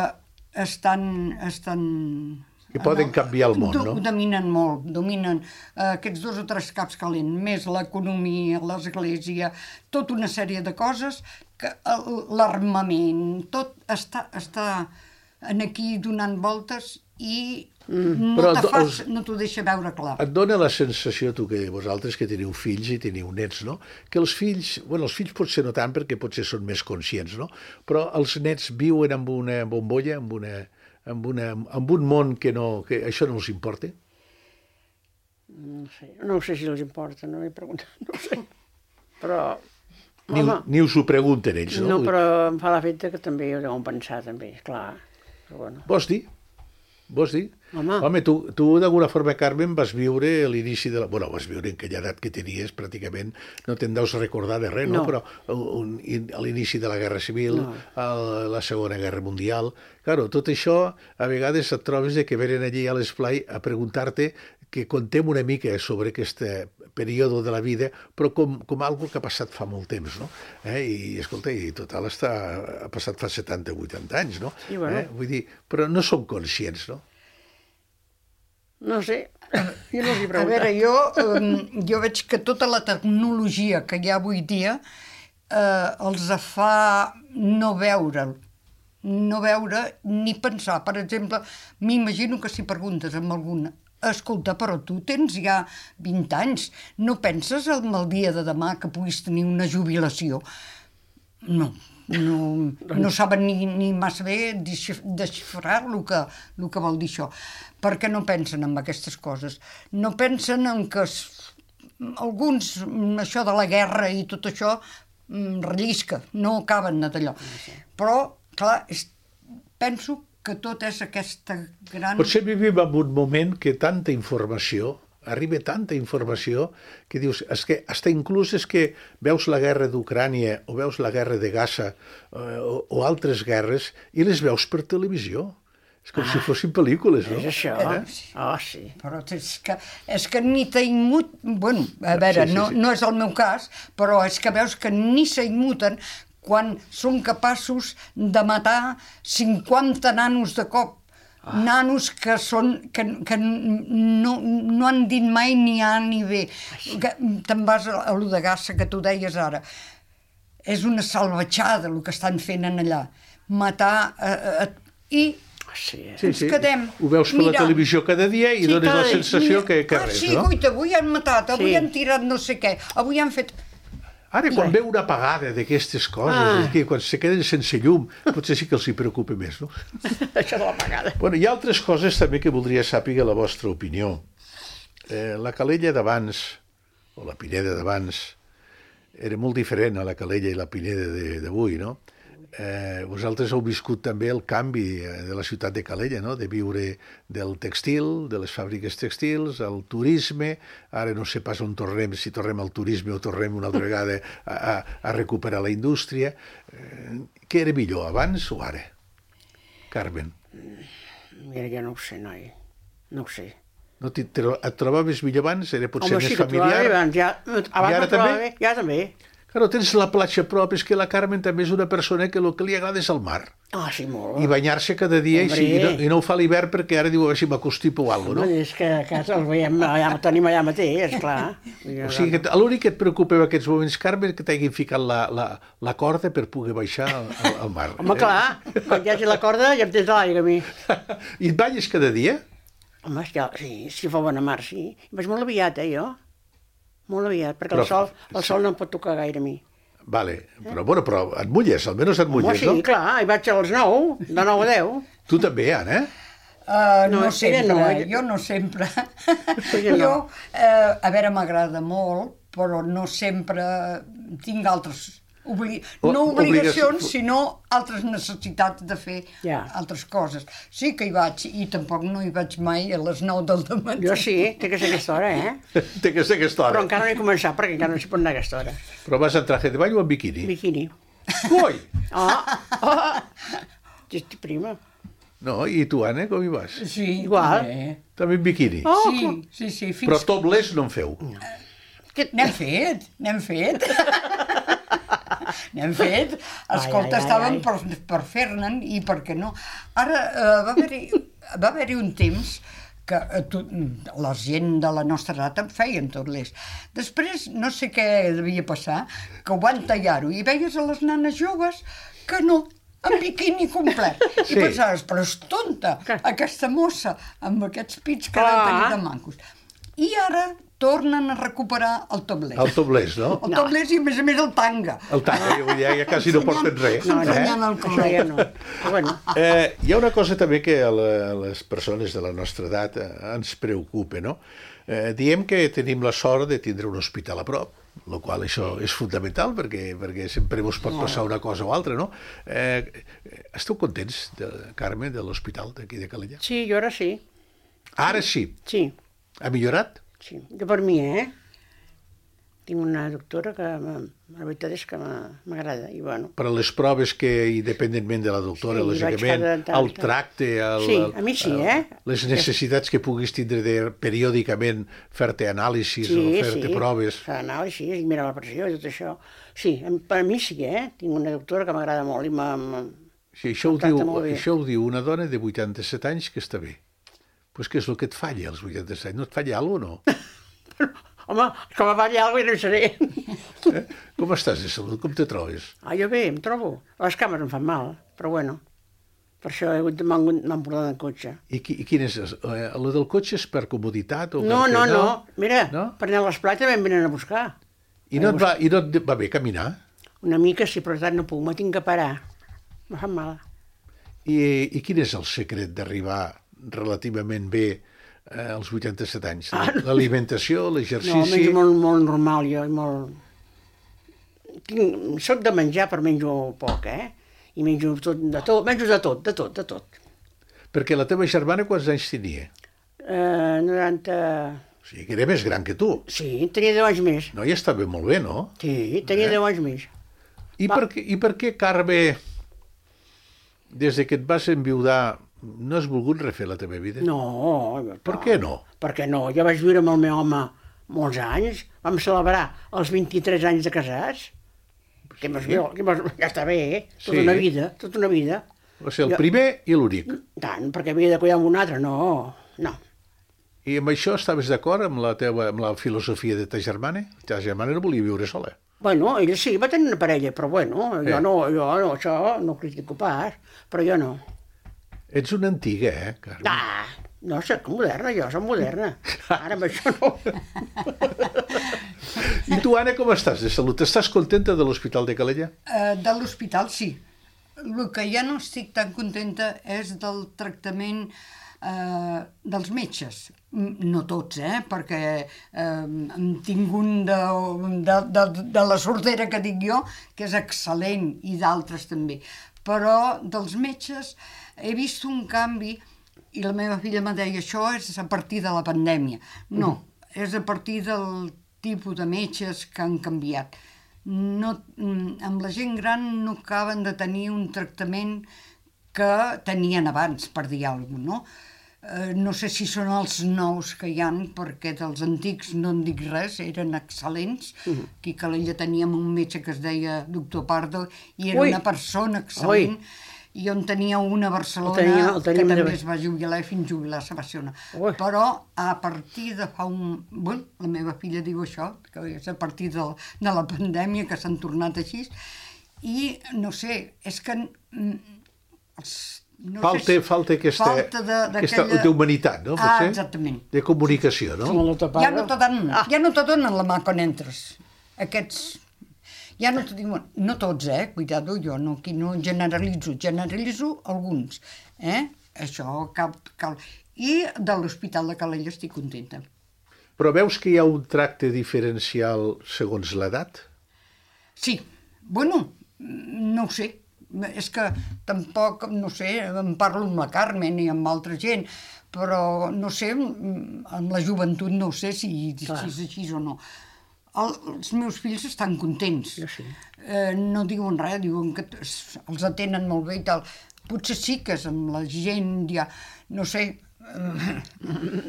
estan... estan Que poden canviar el món, do, no? Dominen molt, dominen eh, aquests dos o tres caps calents, més l'economia, l'església, tota una sèrie de coses, que eh, l'armament, tot està, està en aquí donant voltes i no Però te fa, els- no t'ho deixa veure clar. Et dona la sensació, tu que vosaltres que teniu fills i teniu nets, no? Que els fills, bueno, els fills potser no tant perquè potser són més conscients, no? Però els nets viuen amb una bombolla, amb una, amb una, amb un món que no, que això no els importa. No sé, no sé si els importa, no m'he preguntat, no ho sé. Però, Ni, home, ni us ho pregunten ells, no? no, però em fa l'efecte que també ho deuen pensar, també, clar. Però bueno. Vols dir? Vols dir? Home. Home, tu, tu d'alguna forma, Carmen, vas viure l'inici de la... Bueno, vas viure en aquella edat que tenies, pràcticament, no te'n deus recordar de res, no? No. Però un, un, a l'inici de la Guerra Civil, No. a la Segona Guerra Mundial... Claro, tot això, a vegades et trobes de que venen allí a l'esplai a preguntar-te que contem una mica sobre aquest període de la vida, però com, com algo que ha passat fa molt temps, no? Eh? I, escolta, i total està, ha passat fa setanta o vuitanta anys, no? I bueno. Eh? Vull dir, però no som conscients, no? No sé, jo no els A he preguntat. veure, jo, um, jo veig que tota la tecnologia que hi ha avui dia eh, els fa no veure'l, no veure ni pensar. Per exemple, m'imagino que si preguntes amb alguna, escolta, però tu tens ja vint anys, no penses en el dia de demà que puguis tenir una jubilació? No, no, no saben ni, ni massa bé desxif- desxifrar el que, el que vol dir això, perquè no pensen en aquestes coses. No pensen en que es, alguns, això de la guerra i tot això, mm, rellisca, no acaben d'allò. Però, clar, és, penso que tot és aquesta gran... Potser vivim en un moment que tanta informació, arriba tanta informació, que dius, és que hasta inclús és que veus la guerra d'Ucrània o veus la guerra de Gaza eh, o, o altres guerres i les veus per televisió. És com ah. si fossin pel·lícules, no? És això. Eh? Oh, sí. Però és que, és que ni t'hi immut... Bueno, a veure, sí, sí, no, sí. no és el meu cas, però és que veus que ni s'immuten quan són capaços de matar cinquanta nanos de cop. Ah. Nanos que són que, que no, no han dit mai ni A ni B. Que te'n vas a, a lo de Gaza que tu deies ara. És una salvatjada el que estan fent en allà. Matar eh, eh, i Sí, sí, ens sí. quedem Ho veus per mirant. la televisió cada dia i Sí, dones cada la dia. sensació que, que ah, res, sí, no? guaita, avui han matat, avui Sí. han tirat no sé què, avui han fet... Ara, quan ve una apagada d'aquestes coses, Ah. que quan se queden sense llum, potser sí que els hi preocupa més, no? Això de la pagada. Bueno, hi ha altres coses també que voldria saber la vostra opinió. Eh, la Calella d'abans, o la Pineda d'abans, era molt diferent a la Calella i la Pineda de- d'avui, no? Eh, vosaltres heu viscut també el canvi de la ciutat de Calella, no? De viure del textil, de les fàbriques textils, al turisme, ara no sé pas on tornem, si tornem al turisme o tornem una altra vegada a, a, a recuperar la indústria. Eh, què era millor, abans o ara? Carmen, Mira, jo no ho sé, noi. No ho sé. no et, et trobaves millor abans? Era potser Home, més sí que trobava familiar? bé, abans, ja, abans ara no trobava també? bé, ja també. Claro, tens la platja a prop, és que la Carmen també és una persona que el que li agrada és el mar. Ah, sí, molt. I banyar-se cada dia, i, sí, i, no, Hombre. i no ho fa a l'hivern perquè ara diu a veure si m'acostipo o alguna cosa, No? no? És que a casa els veiem, ja el tenim allà mateix, esclar. O sigui, que l'únic que et preocupa en aquests moments, Carmen, que t'hagin ficat la, la, la corda per poder baixar al, al, al mar. Home, clar, quan hi hagi la corda ja em tens a l'aigua a mi. I et banyes cada dia? Home, és que, sí, si fa bona mar, sí. Vaig molt aviat, eh, jo. Molt aviat, perquè Però- el sol, el sol no em pot tocar gaire a mi. Vale, però, bueno, però et mulles, almenys et Home, mulles, sí, no? clar, hi vaig a les nou, de nou a deu. Tu també, Anna? Uh, no, No, no ella sempre, no, no, ella- jo no sempre. Ella no. Jo, uh, a veure, m'agrada molt, però no sempre tinc altres... Obli... O- No obligacions, obligació- sinó altres necessitats de fer Ja. altres coses. Sí que hi vaig, i tampoc no hi vaig mai a les nou del dematí. Jo sí, té que ser aquesta hora, eh? Té que ser aquesta hora. Però encara no he començat, perquè encara no s'hi pot anar a aquesta hora. Però vas en traje de bany o en biquini? Biquini. Coi! Oh, oh. Estic prima. No, i tu, Anna, com hi vas? Sí, Igual. també. També en biquini. Oh, Sí, sí, sí, fins... Però topless no en feu. Que... N'hem fet, n'hem fet. N'hem fet. Escolta, ai, ai, estàvem ai. per, per fer-ne'n i per què no. Ara eh, va haver-hi va haver un temps que eh, tu, la gent de la nostra edat en feien tot l'est. Després, no sé què devia passar, que ho van tallar-ho i veies a les nanes joves que no, en biquini complet. Sí. I pensaves, però és tonta, Què? aquesta mossa, amb aquests pits que Clar. deu tenir de mancos. I ara tornen a recuperar el topless. El topless, no? El topless i, a més a més, el tanga. El tanga, ja, ja, ja quasi no porten res. No, no, eh? Ensenyant el Això ja col·leg. no. Però bueno, Eh, hi ha una cosa també que a, la, a les persones de la nostra edat eh, ens preocupa, no? Eh, diem que tenim la sort de tindre un hospital a prop, el qual això és fundamental perquè, perquè sempre us pot passar una cosa o altra, no? Eh, esteu contents, de, Carme, de l'hospital d'aquí de Calella? sí, jo ara sí. Ara sí. Sí, Ha millorat? sí. Jo per mi, eh? Tinc una doctora que, m'ha- la veritat és que m'ha- m'agrada, i bueno. Per a les proves que, independentment de la doctora, Sí, vaig lògicament, cada tant, el tant. tracte, el, Sí, el- a mi sí, el- eh? les necessitats que puguis tindre de periòdicament fer-te anàlisis o fer-te sí. proves. Fa anàlisis, i mira la pressió i tot això. Sí, em- per a mi sí, eh? Tinc una doctora que m'agrada molt i m'ha... m'ha- Sí, això, ho Tracta diu, molt bé. això ho diu una dona de vuitanta-set anys que està bé. Pues què és el que et falla als vuitanta-set? No et falla alguna cosa, no? Home, com a ballar alguna cosa no hi seré. Eh? Com estàs de salut? Com te trobes? Ah, jo bé, em trobo. Les cames em fan mal, però bueno. Per això he hagut de m'han m'han portat en cotxe. I, qui, i quin és? Eh, lo del cotxe és per comoditat? O No, perquè no, no. Mira, No? per anar a l'esplai també em venen a buscar. I no et va, i no et va bé caminar? Una mica sí, però tant no puc, me tinc que parar. Me fan mal. I, I quin és el secret d'arribar relativament bé eh, als vuitanta-set anys? Ah, no. L'alimentació, No, l'exercici... menjo molt, molt normal jo, i molt... Tinc... Soc de menjar, però menjo poc, eh? I menjo tot, de tot, menjo de tot, de tot, de tot. Perquè la teva germana quants anys tenia? Eh, noranta... O sigui, que era més gran que tu. Sí, tenia deu anys més. No, ja està bé, molt bé, no? Sí, tenia Eh? deu anys més. I per, què, I per què, Carme, des de que et vas enviudar no has volgut refer la teva vida? No. Per què no? Per què no? Jo vaig viure amb el meu home molts anys. Vam celebrar els vint-i-tres anys de casats. Sí. Que mos, que mos, ja està bé, eh? Tota Sí. una vida, tota una vida. Va ser el Jo- primer i l'únic. Tant, perquè havia de cuidar amb un altre, no. No. I amb això estaves d'acord amb la teva amb la filosofia de ta germana? Ta germana no volia viure sola. Bueno, ell sí, va tenir una parella, però bueno, jo Eh. no, jo no, això no ho critico pas, però jo no. Ets una antiga, eh, Carme? Ah, no, soc moderna, jo soc moderna. Ara amb això no. I tu, Anna, com estàs de salut? Estàs contenta de l'Hospital de Calella? Eh, de l'hospital, sí. El que ja no estic tan contenta és del tractament eh, dels metges. Mm, No tots, eh? Perquè eh, hem tingut un de, de, de, de la sordera que dic jo, que és excel·lent, i d'altres també. Però dels metges he vist un canvi, i la meva filla me deia, això és a partir de la pandèmia. No, és a partir del tipus de metges que han canviat. No, mm, amb la gent gran no acaben de tenir un tractament que tenien abans, per dir alguna cosa, no? Eh, no sé si són els nous que hi han, perquè dels antics no en dic res, eren excel·lents. Aquí a Calella teníem un metge que es deia doctor Pardo, i era Ui. una persona excel·lent, i on tenia una a Barcelona, El tenia- el que tenim també de- es va jubilar i fins jubilar-se va ser una. Ui. Però a partir de fa un... Bueno, la meva filla diu això, que és a partir de, de la pandèmia que s'han tornat així, i no sé, és que... mm, Els, no Falta, sé si- falta aquesta, falta de, aquesta d'aquella- d'humanitat, no? Ah, Potser? exactament. De comunicació, no? Com el doctor Ja Pardo. no te donen, ja no te donen la mà quan entres. Aquests... Ja no te diuen... No tots, eh? Cuidado, jo no, aquí no generalitzo. Generalitzo alguns, eh? Això cal... cal. I de l'Hospital de Calella estic contenta. Però veus que hi ha un tracte diferencial segons l'edat? Sí, bueno, no ho sé. És que tampoc, no sé, em parlo amb la Carmen i amb altra gent, però no sé, amb la joventut no sé si, si és així o no. El, els meus fills estan contents. Jo sí. Eh, no diuen res, diuen que es- els atenen molt bé i tal. Potser sí que és amb la gent ja, no sé...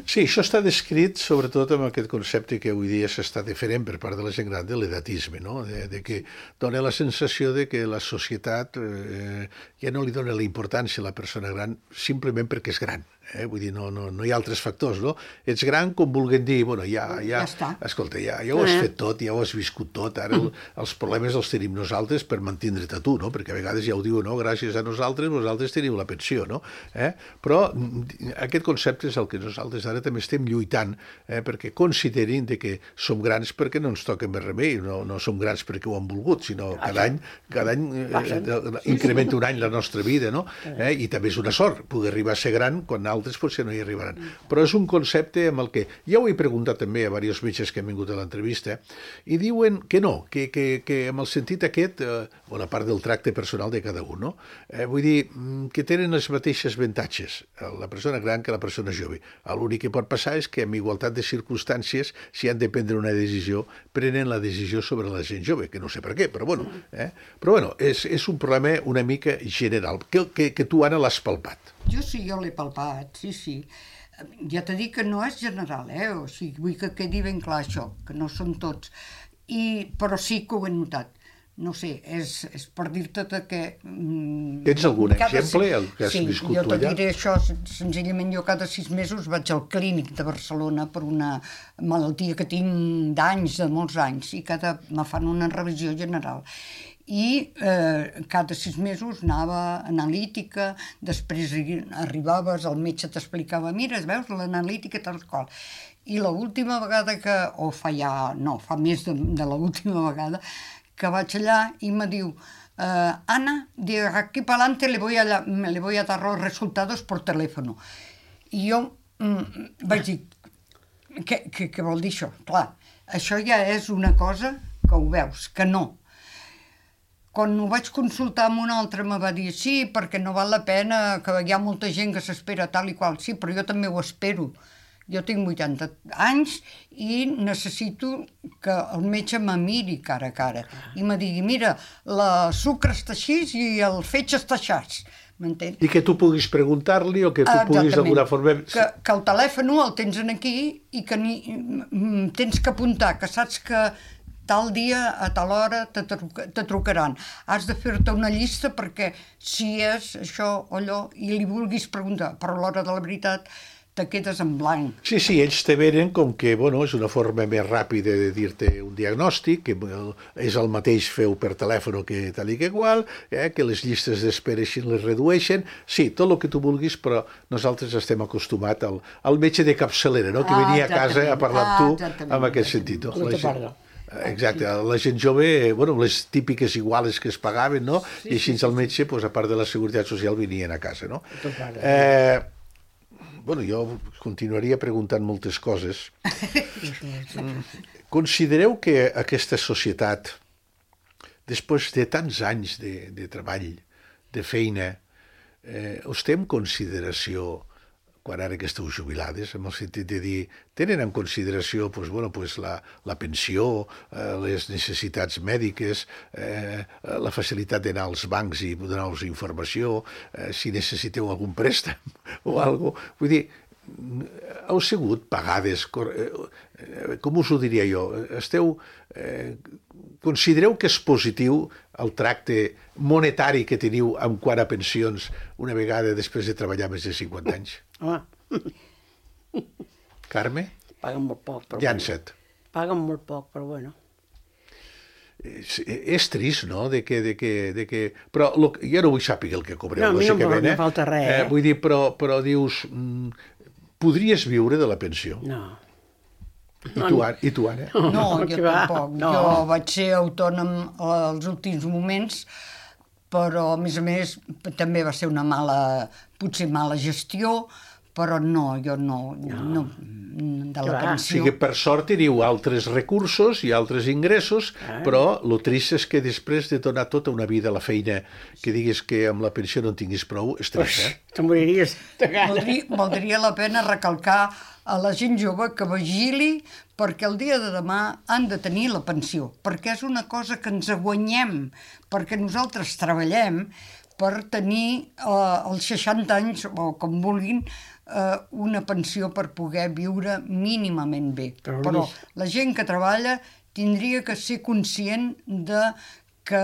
Sí, això està descrit sobretot amb aquest concepte que avui dia s'està diferent per part de la gent gran de l'edatisme, no? De, de que dona la sensació de que la societat eh, ja no li dona la importància a la persona gran simplement perquè és gran. Eh? Vull dir, no, no, no hi ha altres factors, no? Ets gran com vulguem dir, bueno, ja, ja, Ja està. escolta, ja, ja ho has fet tot, ja ho has viscut tot, ara el, els problemes els tenim nosaltres per mantindre't a tu, no? Perquè a vegades ja ho diu, no? Gràcies a nosaltres, vosaltres teniu la pensió, no? Eh? Però mm, aquest concepte és el que nosaltres ara també estem lluitant, eh? Perquè considerin de que som grans perquè no ens toca més remei, no, no som grans perquè ho han volgut, sinó cada any, cada any eh, incrementa un any la nostra vida, no? Eh? I també és una sort poder arribar a ser gran quan altres potser no hi arribaran. Però és un concepte amb el que... Ja ho he preguntat també a diversos metges que han vingut a l'entrevista i diuen que no, que, que, que amb el sentit aquest, eh, o la part del tracte personal de cada un, no? Eh, vull dir, que tenen les mateixes avantatges la persona gran que la persona jove. L'únic que pot passar és que amb igualtat de circumstàncies, si han de prendre una decisió, prenen la decisió sobre la gent jove, que no sé per què, però bueno. Eh? Però bueno, és, és un problema una mica general, que, que, que tu, Anna, l'has palpat. Jo sí, jo l'he palpat, sí, sí. Ja t'he dit que no és general, eh? O sigui, vull que quedi ben clar això, que no són tots. I, però sí que ho he notat. No sé, és, és per dir-te que... Mm, Tens algun cada exemple, sis- el que has sí, viscut jo tu allà? te diré això, sen- senzillament jo cada sis mesos vaig al clínic de Barcelona per una malaltia que tinc d'anys, de molts anys, i cada me fan una revisió general. I eh, cada sis mesos anava a analítica, després arribaves, el metge t'explicava, mira, veus, l'analítica tal qual. I l'última vegada que, o fa ja, no, fa més de, de l'última vegada, que vaig allà i me diu, eh, Ana, de aquí para adelante le voy, a la, le voy a dar los resultados por teléfono. I jo mm, vaig dir, què, què, què vol dir això? Clar, això ja és una cosa que ho veus, que no. Quan ho vaig consultar amb un altre me va dir sí, perquè no val la pena, que hi ha molta gent que s'espera tal i qual. Sí, però jo també ho espero. Jo tinc vuitanta anys i necessito que el metge me miri cara a cara i me digui, mira, la sucre està així i el fetge està així. m'entens? I que tu puguis preguntar-li o que tu Ah, puguis exactament. d'alguna forma... Que, que el telèfon el tens aquí i que ni, mm, tens que apuntar, que saps que tal dia, a tal hora, te, truca, te trucaran. Has de fer-te una llista perquè si és això o allò i li vulguis preguntar, però a l'hora de la veritat te quedes en blanc. Sí, sí, ells te venen com que, bueno, és una forma més ràpida de dir-te un diagnòstic, que és el mateix feu per telèfon que tal i que igual, eh, que les llistes d'espera així les redueixen. Sí, tot el que tu vulguis, però nosaltres estem acostumats al, al metge de capçalera, no?, que Ah, venia a casa a parlar amb ah, tu exactament, en aquest sentit. No? No La te gent- parlo. Exacte, la gent jove, bueno, les típiques iguales que es pagaven, no? I així el metge, pues, a part de la Seguretat Social, venien a casa, no? Eh, bueno, jo continuaria preguntant moltes coses. Considereu que aquesta societat, després de tants anys de, de treball, de feina, eh, us té en consideració, quan ara que esteu jubilades, en el sentit de dir, tenen en consideració pues, bueno, pues, la, la pensió, eh, les necessitats mèdiques, eh, la facilitat d'anar als bancs i donar-vos informació, eh, si necessiteu algun préstec o alguna cosa. Vull dir, heu sigut pagades, com us ho diria jo, esteu, eh, considereu que és positiu el tracte monetari que teniu en quant a pensions una vegada després de treballar més de cinquanta anys? Home, Carme? paguen molt poc, però Llança't. bueno. Paguen molt poc, però bueno. És, és trist, no?, de que... De que, de que... Però lo, jo no vull saber el que cobreu, No, a mi no em lògicament, fa- no falta res, eh? Vull dir, però, però dius, mm, podries viure de la pensió? No. I tu, Anna? I tu, Anna? No, jo que va, tampoc. no. Jo vaig ser autònom als últims moments, però a més a més també va ser una mala, potser mala gestió, però no, jo no, no, no de la Que va. O pensió. sigui, per sort teniu altres recursos i altres ingressos, Ah. però el trist és que després de donar tota una vida a la feina, que diguis que amb la pensió no en tinguis prou, és trist, eh? Te moriries de gana. Valdria, valdria la pena recalcar a la gent jove que vigili perquè el dia de demà han de tenir la pensió, perquè és una cosa que ens guanyem, perquè nosaltres treballem per tenir eh, als seixanta anys, o com vulguin, eh, una pensió per poder viure mínimament bé. Però, Però Lluís- la gent que treballa tindria que ser conscient de que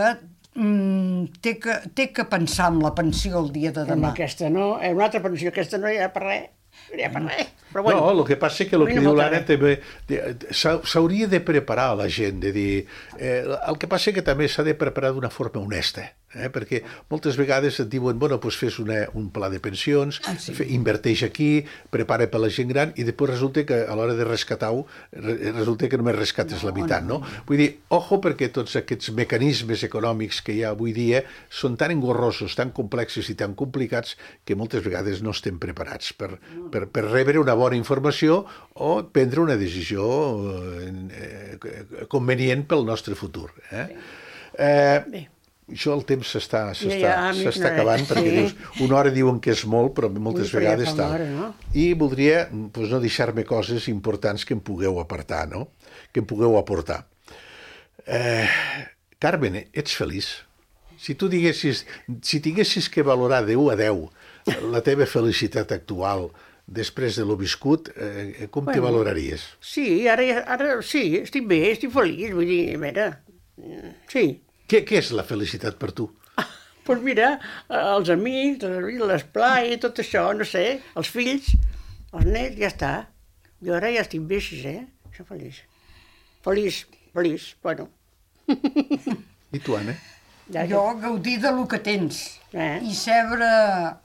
mm, té que, té que pensar en la pensió el dia de Amb demà. aquesta no, eh, una altra pensió, aquesta no hi ha per res. No hi ha per res. Però bueno, No, el que passa és que el a mi que no diu falta l'Anna res. també de- s'ha- s'hauria de preparar a la gent, de dir... Eh, el que passa és que també s'ha de preparar d'una forma honesta, eh, perquè moltes vegades et diuen, bueno, doncs fes una, un pla de pensions, Ah, sí. fe, inverteix aquí, prepara per la gent gran, i després resulta que a l'hora de rescatar-ho, re, resulta que només rescates no, la meitat, no, no? Vull dir, ojo, perquè tots aquests mecanismes econòmics que hi ha avui dia són tan engorrosos, tan complexos i tan complicats que moltes vegades no estem preparats per, per, per rebre una bona informació o prendre una decisió eh, convenient pel nostre futur. Eh? Eh, Bé. això el temps s'està s'està Ja, ja, amic, s'està no, acabant, sí. perquè dius, una hora diuen que és molt, però moltes Ui, però ja vegades fa tal. una hora, no? I voldria doncs, no deixar-me coses importants que em pugueu apartar, no? Que em pugueu aportar. Eh, Carmen, ets feliç? Si tu diguessis, si tinguessis que valorar de u a deu la teva felicitat actual després de lo viscut, eh, com te Bueno. valoraries? sí, ara, ja- ara sí, estic bé, estic feliç, vull dir, a veure, mm, sí. Què, què és la felicitat per tu? Doncs pues mira, eh, els amics, l'esplai, tot això, no sé, els fills, els nets, ja està. Jo ara ja estic bé així, eh? Soc feliç. Feliç, feliç, bueno. I tu, Anna? Ja, Jo gaudir de lo que tens Eh? i sebre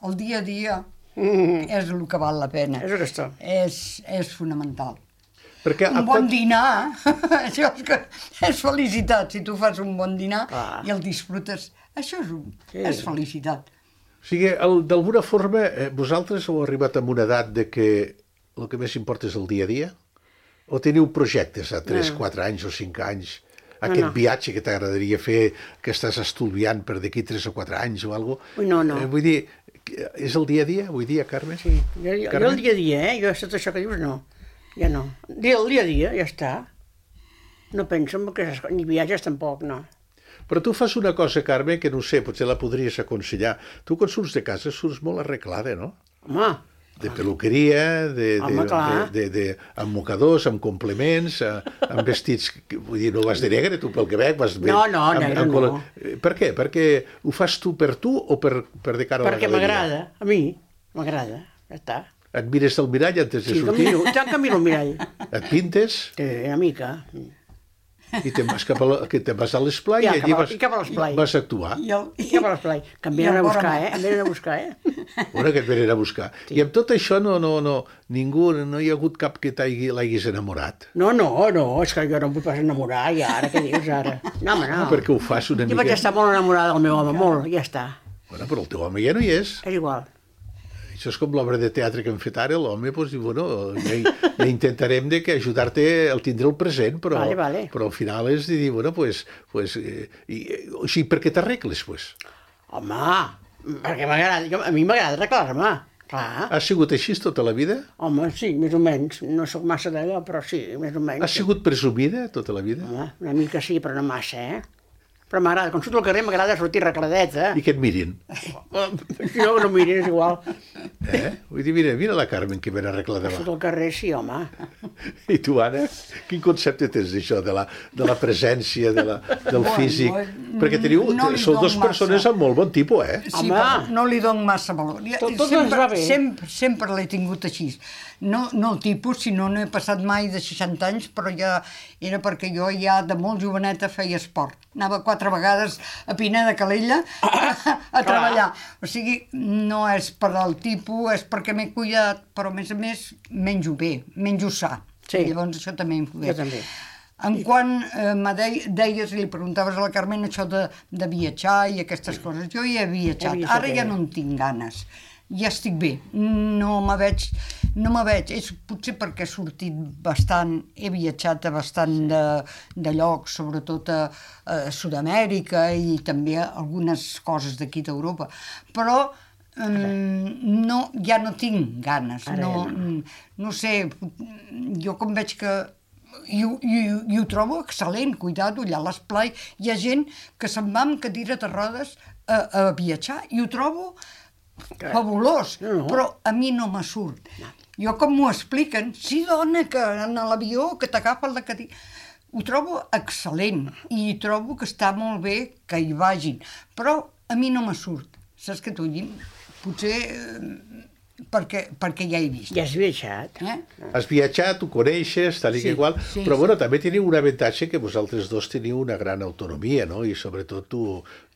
el dia a dia Mm, és el que val la pena. és aquesta. És, és fonamental. Perquè Un bon dinar, això és, que és felicitat. Si tu fas un bon dinar Ah. i el disfrutes, això és, un, Sí. és felicitat. O sigui, el- d'alguna forma, eh, vosaltres heu arribat a una edat de que el que més importa és el dia a dia? O teniu projectes a tres, No. quatre anys o cinc anys? No, Aquest no. viatge que t'agradaria fer, que estàs estudiant per d'aquí tres o quatre anys o alguna cosa? Ui, no, no. Eh, vull dir, que és el dia a dia, vull dir, Carme? Sí, jo, jo, jo Carme? el dia a dia, eh? Jo tot això que dius, no. Ja no. El dia a dia, ja està. No penso en que ni viatges tampoc, no. Però tu fas una cosa, Carme, que no sé, potser la podries aconsellar. Tu quan surts de casa surts molt arreglada, no? Home, De peluqueria, de, de, Home, clar. de, de, de, amb mocadors, amb complements, eh, amb vestits... Vull dir, no vas de negre, tu pel que veig, vas... bé, No, no, amb, negre amb, no. col- Per què? Perquè ho fas tu per tu o per, per de cara a la perquè galeria? m'agrada, a mi, m'agrada, ja està. Et mires al mirall antes de Sí, que sortir? miro, tant que miro el mirall. Et pintes Sí, una mica. i te'n vas, cap a la, que te'n vas a l'esplai Ja, i allí cap a- vas, i cap a l'esplai. vas actuar. I, el, I cap a l'esplai. Que em I venen a el buscar, vora eh? Em venen a buscar, eh? Bueno, que et venen a buscar. I amb tot això no, no, no, ningú, no hi ha hagut cap que t'hagi- l'haguis enamorat. No, no, no, és que jo no em vull pas enamorar, i ara, què dius ara? No, home, no. No, perquè ho fas una Jo mica... vaig estar molt enamorada del meu home, molt, ja està. Bueno, però el teu home ja no hi és. És igual. Això és com l'obra de teatre que hem fet ara, l'home doncs, diu, bueno, ja, ja intentarem de que ajudar-te a tindre el present, però, Vale, vale. però al final és de dir, bueno, pues, pues, eh, i, o sigui, per què t'arregles, pues? Home, perquè m'agrada, jo- a mi m'agrada arreglar-me, clar. Has sigut així tota la vida? Home, sí, més o menys. No sóc massa d'allò, però sí, més o menys. Has sigut presumida tota la vida? Home, una mica sí, però no massa, eh? Però m'agrada, quan surto al carrer m'agrada sortir arregladeta. I que et mirin. Si no, no mirin, és igual. Eh? Vull dir, mira, mira la Carmen que ben arreglada va. Surto al carrer, sí, home. I tu, Anna, quin concepte tens d'això, de la, de la presència, de la, del Bueno, físic? eh, Perquè teniu, no li sou dono dues persones massa. amb molt bon tipus, eh? Sí, Home. però no li dono massa valor. Ja- Tot- tot ens sempre, va bé. Sempre, sempre l'he tingut així. No, no el tipus, sinó no he passat mai de seixanta anys, però ja era perquè jo ja de molt joveneta feia esport. Anava quatre vegades a Pinar de Calella a, a treballar. O sigui, no és per al tipus, és perquè m'he cuidat, però a més a més menjo bé, menjo sa. Sí. Llavors això també influeix. Jo també. En quan eh, me dei- deies i li preguntaves a la Carmen això de, de viatjar i aquestes coses, jo ja he viatjat, He viatjat, ara ja ella. no en tinc ganes, ja estic bé, no me veig, no me veig, és potser perquè he sortit bastant, he viatjat a bastant de, de llocs, sobretot a, a Sud-amèrica i també a algunes coses d'aquí d'Europa, però um, no, ja no tinc ganes, Ara no, ja no. no sé, jo com veig que i, ho- i, ho- i ho trobo excel·lent, cuidado, allà a l'esplai hi ha gent que se'n va amb cadira de rodes a, a viatjar i ho trobo fabulós, No, no. però a mi no me surt. Jo com m'ho expliquen, sí dona, que en l'avió que t'agafa la cadira... Ho trobo excel·lent i trobo que està molt bé que hi vagin, però a mi no me surt. Saps què t'ho dic? Potser eh, perquè, perquè ja he vist. Ja has viatjat. Eh? Has viatjat, ho coneixes, tal i Sí, que igual, sí, però sí. bueno, també teniu un avantatge que vosaltres dos teniu una gran autonomia, no? I sobretot tu,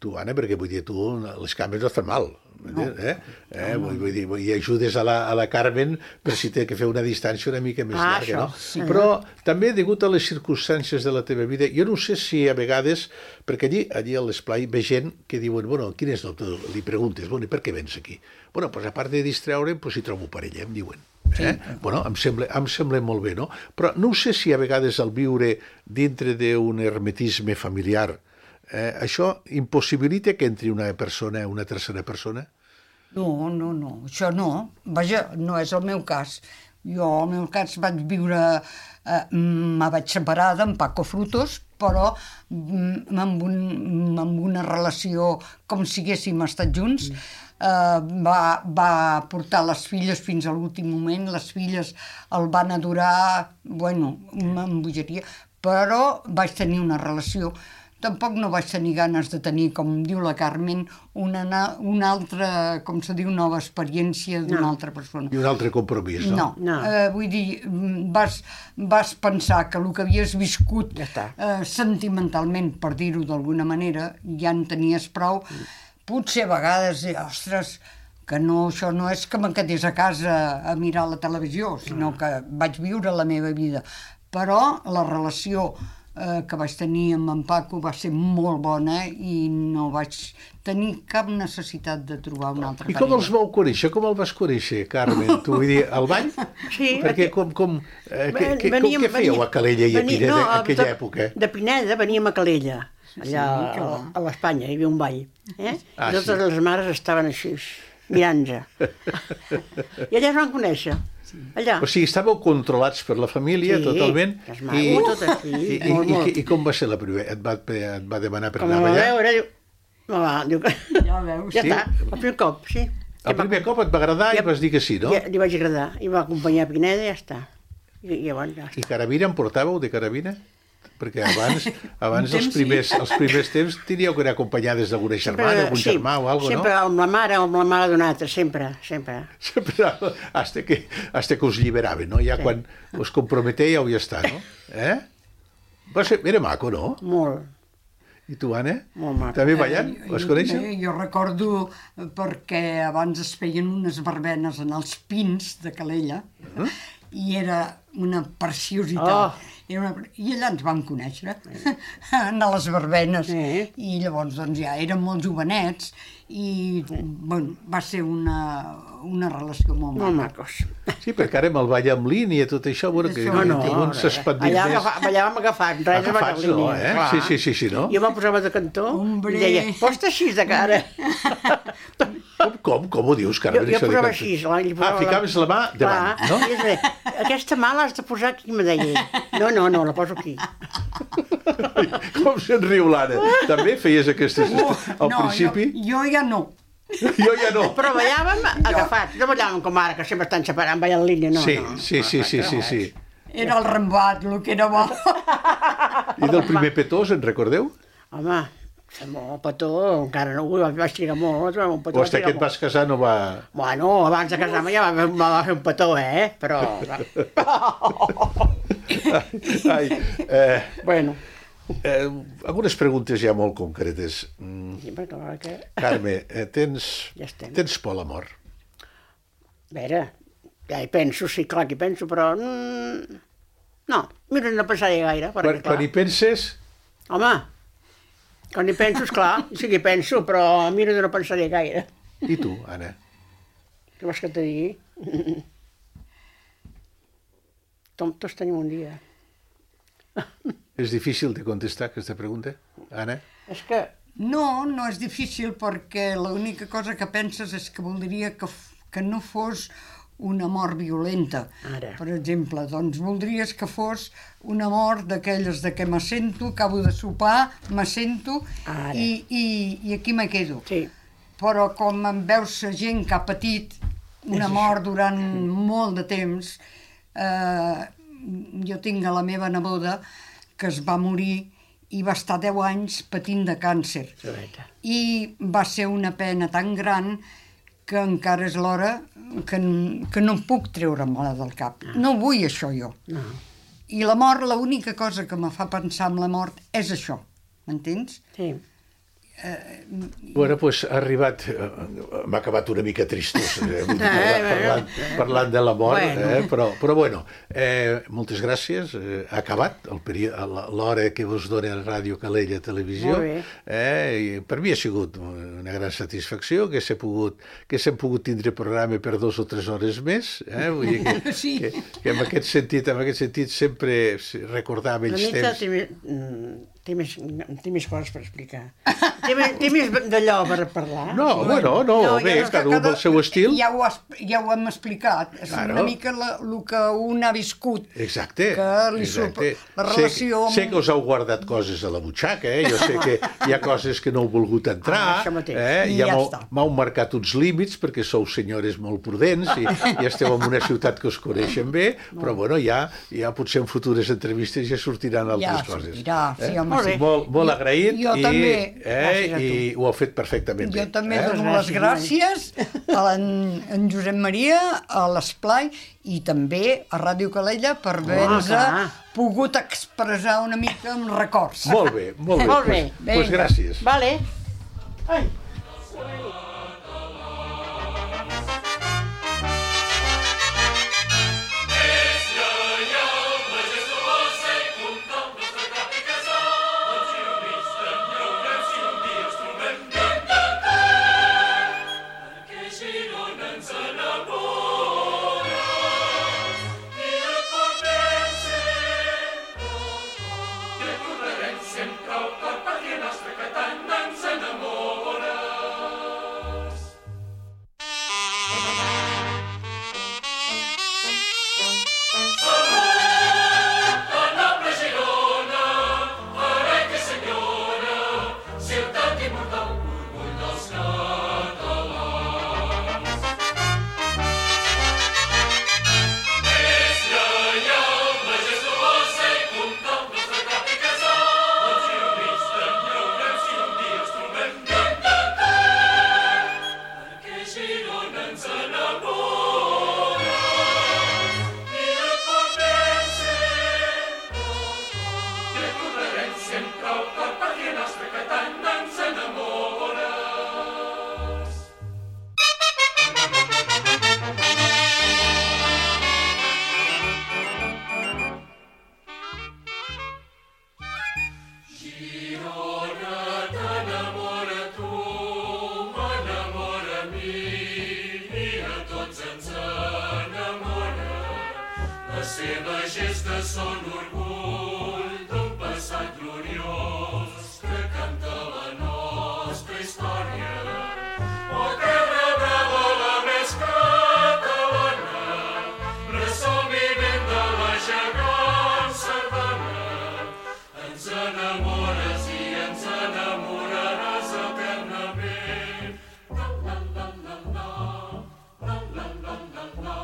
tu Anna, perquè vull dir, tu les cames no et fan mal, no. eh? eh? Vull, vull dir, i ajudes a la, a la Carmen per si té que fer una distància una mica més Ah, llarga, això, no? sí. Però també, degut a les circumstàncies de la teva vida, jo no sé si a vegades, perquè allí, allí a l'esplai ve gent que diuen, bueno, quin és el teu... Li preguntes, bueno, i per què vens aquí? Bueno, doncs a part de distreure'm, doncs si trobo parella, em diuen. Eh? Bueno, em sembla, em sembla molt bé, no? Però no sé si a vegades al viure dintre d'un hermetisme familiar, eh, això impossibilita que entri una persona, una tercera persona? No, no, no, això no. Vaja, no és el meu cas. Jo, al meu cas, vaig viure... Eh, me vaig separar d'en Paco Frutos, però mm, amb, un, amb una relació com si haguéssim estat junts. Eh, va, va portar les filles fins a l'últim moment, les filles el van adorar, bueno, una bogeria, però vaig tenir una relació. Tampoc no vaig tenir ganes de tenir, com diu la Carmen, una, na- una altra, com se diu, nova experiència d'una No. altra persona. I un altre compromís, no? No, No. Eh, vull dir, mm, vas, vas pensar que el que havies viscut Ja està. eh, sentimentalment, per dir-ho d'alguna manera, ja en tenies prou. Potser a vegades, eh, ostres, que no, això no és que me'n quedés a casa a mirar la televisió, sinó que vaig viure la meva vida. Però la relació eh, que vaig tenir amb en Paco va ser molt bona i no vaig tenir cap necessitat de trobar una altra I com parella. els vau conèixer? Com el vas conèixer, Carmen? Tu vull dir, al ball? Sí. Perquè com, com, eh, què, què, com, Veníem- què fèieu a Calella i a vení- Pineda no, en aquella de, època? De Pineda veníem a Calella, allà que a, va. a l'Espanya, hi havia un ball. Eh? Ah, I totes sí. les mares estaven així. mirant-nos. I allà es van conèixer. Allà. O sigui, estàveu controlats per la família, Sí, totalment. és maco, tot així, i, i, molt, i, molt. i, I com va ser la primera? Et va, et va demanar per Com anar a allà? veure, diu... No, va, diu que... Ja veus. Ja Sí? està, el primer cop, sí. El primer cop et va agradar i Ja- vas dir que sí, no? Ja, li vaig agradar. I va acompanyar a Pineda i ja està. I, i llavors ja està. I carabina en portàveu, de carabina? Perquè abans, abans Un els, temps, primers, sí. els primers temps teníeu que anar acompanyades d'alguna germana, algun sí, germà o alguna sempre no? amb la mare o amb la mare d'un altre, sempre, sempre. Sempre, hasta que, hasta que us lliberaven, no? Ja Sí. quan us comprometèieu ja està, no? Eh? Va ser, era maco, no? Molt. I tu, Anna? Molt maco. També ballant? Eh, Vas jo- conèixer? eh, Jo recordo eh, perquè abans es feien unes verbenes en els pins de Calella Uh-huh. i era una preciositat. Oh. Era una... I allà ens vam conèixer, a les verbenes. Sí. I llavors doncs, ja érem molt jovenets i bueno, va ser una, una relació molt Molt maca. macos. Sí, perquè ara amb el ball en línia i tot això, bueno, que, Això que no, un s'expandir allà, més. agafa, allà vam agafar, res de Agafats, no, eh? clar. Sí, sí, sí, sí, no? Jo me'n posava de cantó Hombre. i deia, posta així de cara. Com, com, com ho dius, Jo, Carmen? jo això de posava cantar? així. La, li Ah, posava ficaves la mà davant, Clar. no? I és bé, aquesta mà l'has de posar aquí, me deia ell. No, no, no, la poso aquí. Com se'n riu l'Anna? També feies aquestes... Al no, principi? Jo, jo ja no. Jo ja no. Però ballàvem agafats, no ballàvem com ara, que sempre estan separant, ballant en línia, no, Sí, no. sí, sí, sí, sí, sí. Era el rembat, el que era bo. I del primer petó, se'n recordeu? Home, fer molt petó, encara no, ui, vaig trigar molt, un petó. O vaig hasta trigar que et molt. vas casar no va... Bueno, abans de casar-me ja va, va fer un petó, eh? Però... Ai, eh, bueno, eh, algunes preguntes ja molt concretes. Mm, sí, perquè a veure que... Carme, eh, tens, Ja estem. tens por a la mort? A veure, ja hi penso, sí, clar que hi penso, però... Mm, no, mira, no pensaré gaire, perquè, Quan, clar... quan hi penses... Home, quan hi penso, esclar, sí que hi penso, però mira, no pensaré gaire. I tu, Anna? Què vols que te digui? Tom, tots tenim un dia. És difícil de contestar aquesta pregunta, Anna? És que... No, no és difícil perquè l'única cosa que penses és que voldria que, f- que no fos una mort violenta. Ara. Per exemple, doncs voldries que fos una mort d'aquelles de que m'assento, acabo de sopar, m'assento Ara. i, i, i aquí me quedo. Sí. Però com em veus gent que ha patit una mort durant molt de temps, eh, jo tinc a la meva neboda que es va morir i va estar deu anys patint de càncer. Joeta. I va ser una pena tan gran que encara és l'hora que, n- que no em puc treure-me-la del cap. No vull això jo. No. I la mort, l'única cosa que me fa pensar en la mort és això, m'entens? Sí. Bueno, doncs ha arribat... eh, M'ha acabat una mica tristós, eh, vull dir, Eh, parlant, parlant, parlant de la mort, Bueno. eh, però, però bueno, eh, moltes gràcies. Eh, ha acabat el peri- l'hora que us dona Ràdio Calella Televisió. Molt bé. Eh, i per mi ha sigut una gran satisfacció que s'he pogut, que s'hem pogut tindre programa per dos o tres hores més. Eh? Vull dir que, Sí. que, que en aquest sentit, en aquest sentit sempre recordar La vells nita temps. té, més- mm, té, més, té més coses per explicar. Té, més- té més d'allò per parlar. No, bueno, no, No, bé, ja- cada un amb el seu estil. Ja ho, has, ja ho hem explicat. És Claro. una mica el que un ha viscut. Exacte. Que li exacte. sup- la relació Sé, amb- sé que us heu guardat coses a la butxaca, eh? Jo sé que hi ha coses que no heu volgut entrar, Ah, això mateix. eh? I Ja ja m'heu està. m'heu marcat uns límits perquè sou senyores molt prudents i, i esteu en una ciutat que us coneixen bé, però bueno, ja, ja potser en futures entrevistes ja sortiran altres Ja coses. sortirà, sí, home, Molt sí. bé. Molt, molt Jo- agraït jo i, també. eh, Gràcies a tu. i ho heu fet perfectament Jo bé. també eh? dono les gràcies a en, en Josep Maria, a l'Esplai i també a Ràdio Calella per haver-nos clar. pogut expressar una mica amb records. Molt bé, molt bé. Molt bé. Pues, pues Vinga. gràcies. Vale. Ai. Les seves gestes són orgull d'un passat gloriós que canta la nostra història. Oh, terra brava, la més catalana, ressò vivent de la gegant sardana. Ens enamores i ens enamoraràs eternament. La, la, la, la, la, la, la, la, la, la, la, la, la.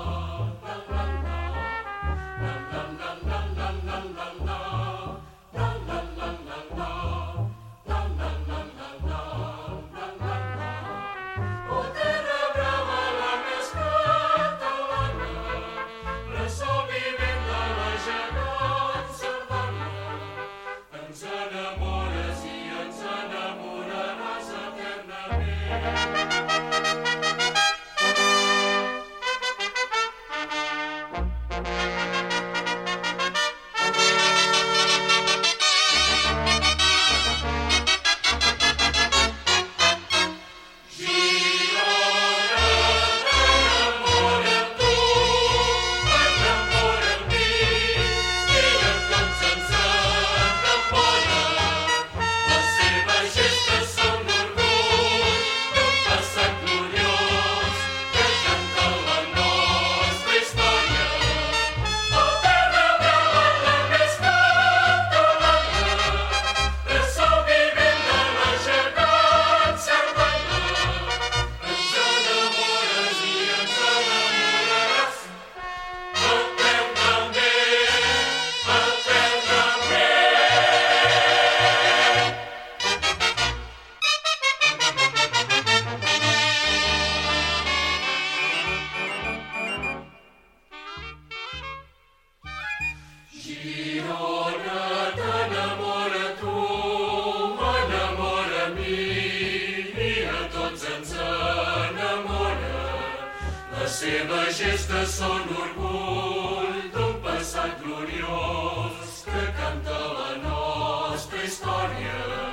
La la la la la la la la la la la la la la la la la la la la. Oh, terra brava, la més catalana, ressò vivent de la gegant sardana. Ens enamores i ens enamoraràs eternament. Girona, t'enamora tu, m'enamora a mi, i a tots ens enamora. Les seves gestes són orgull d'un passat gloriós que canta la nostra història.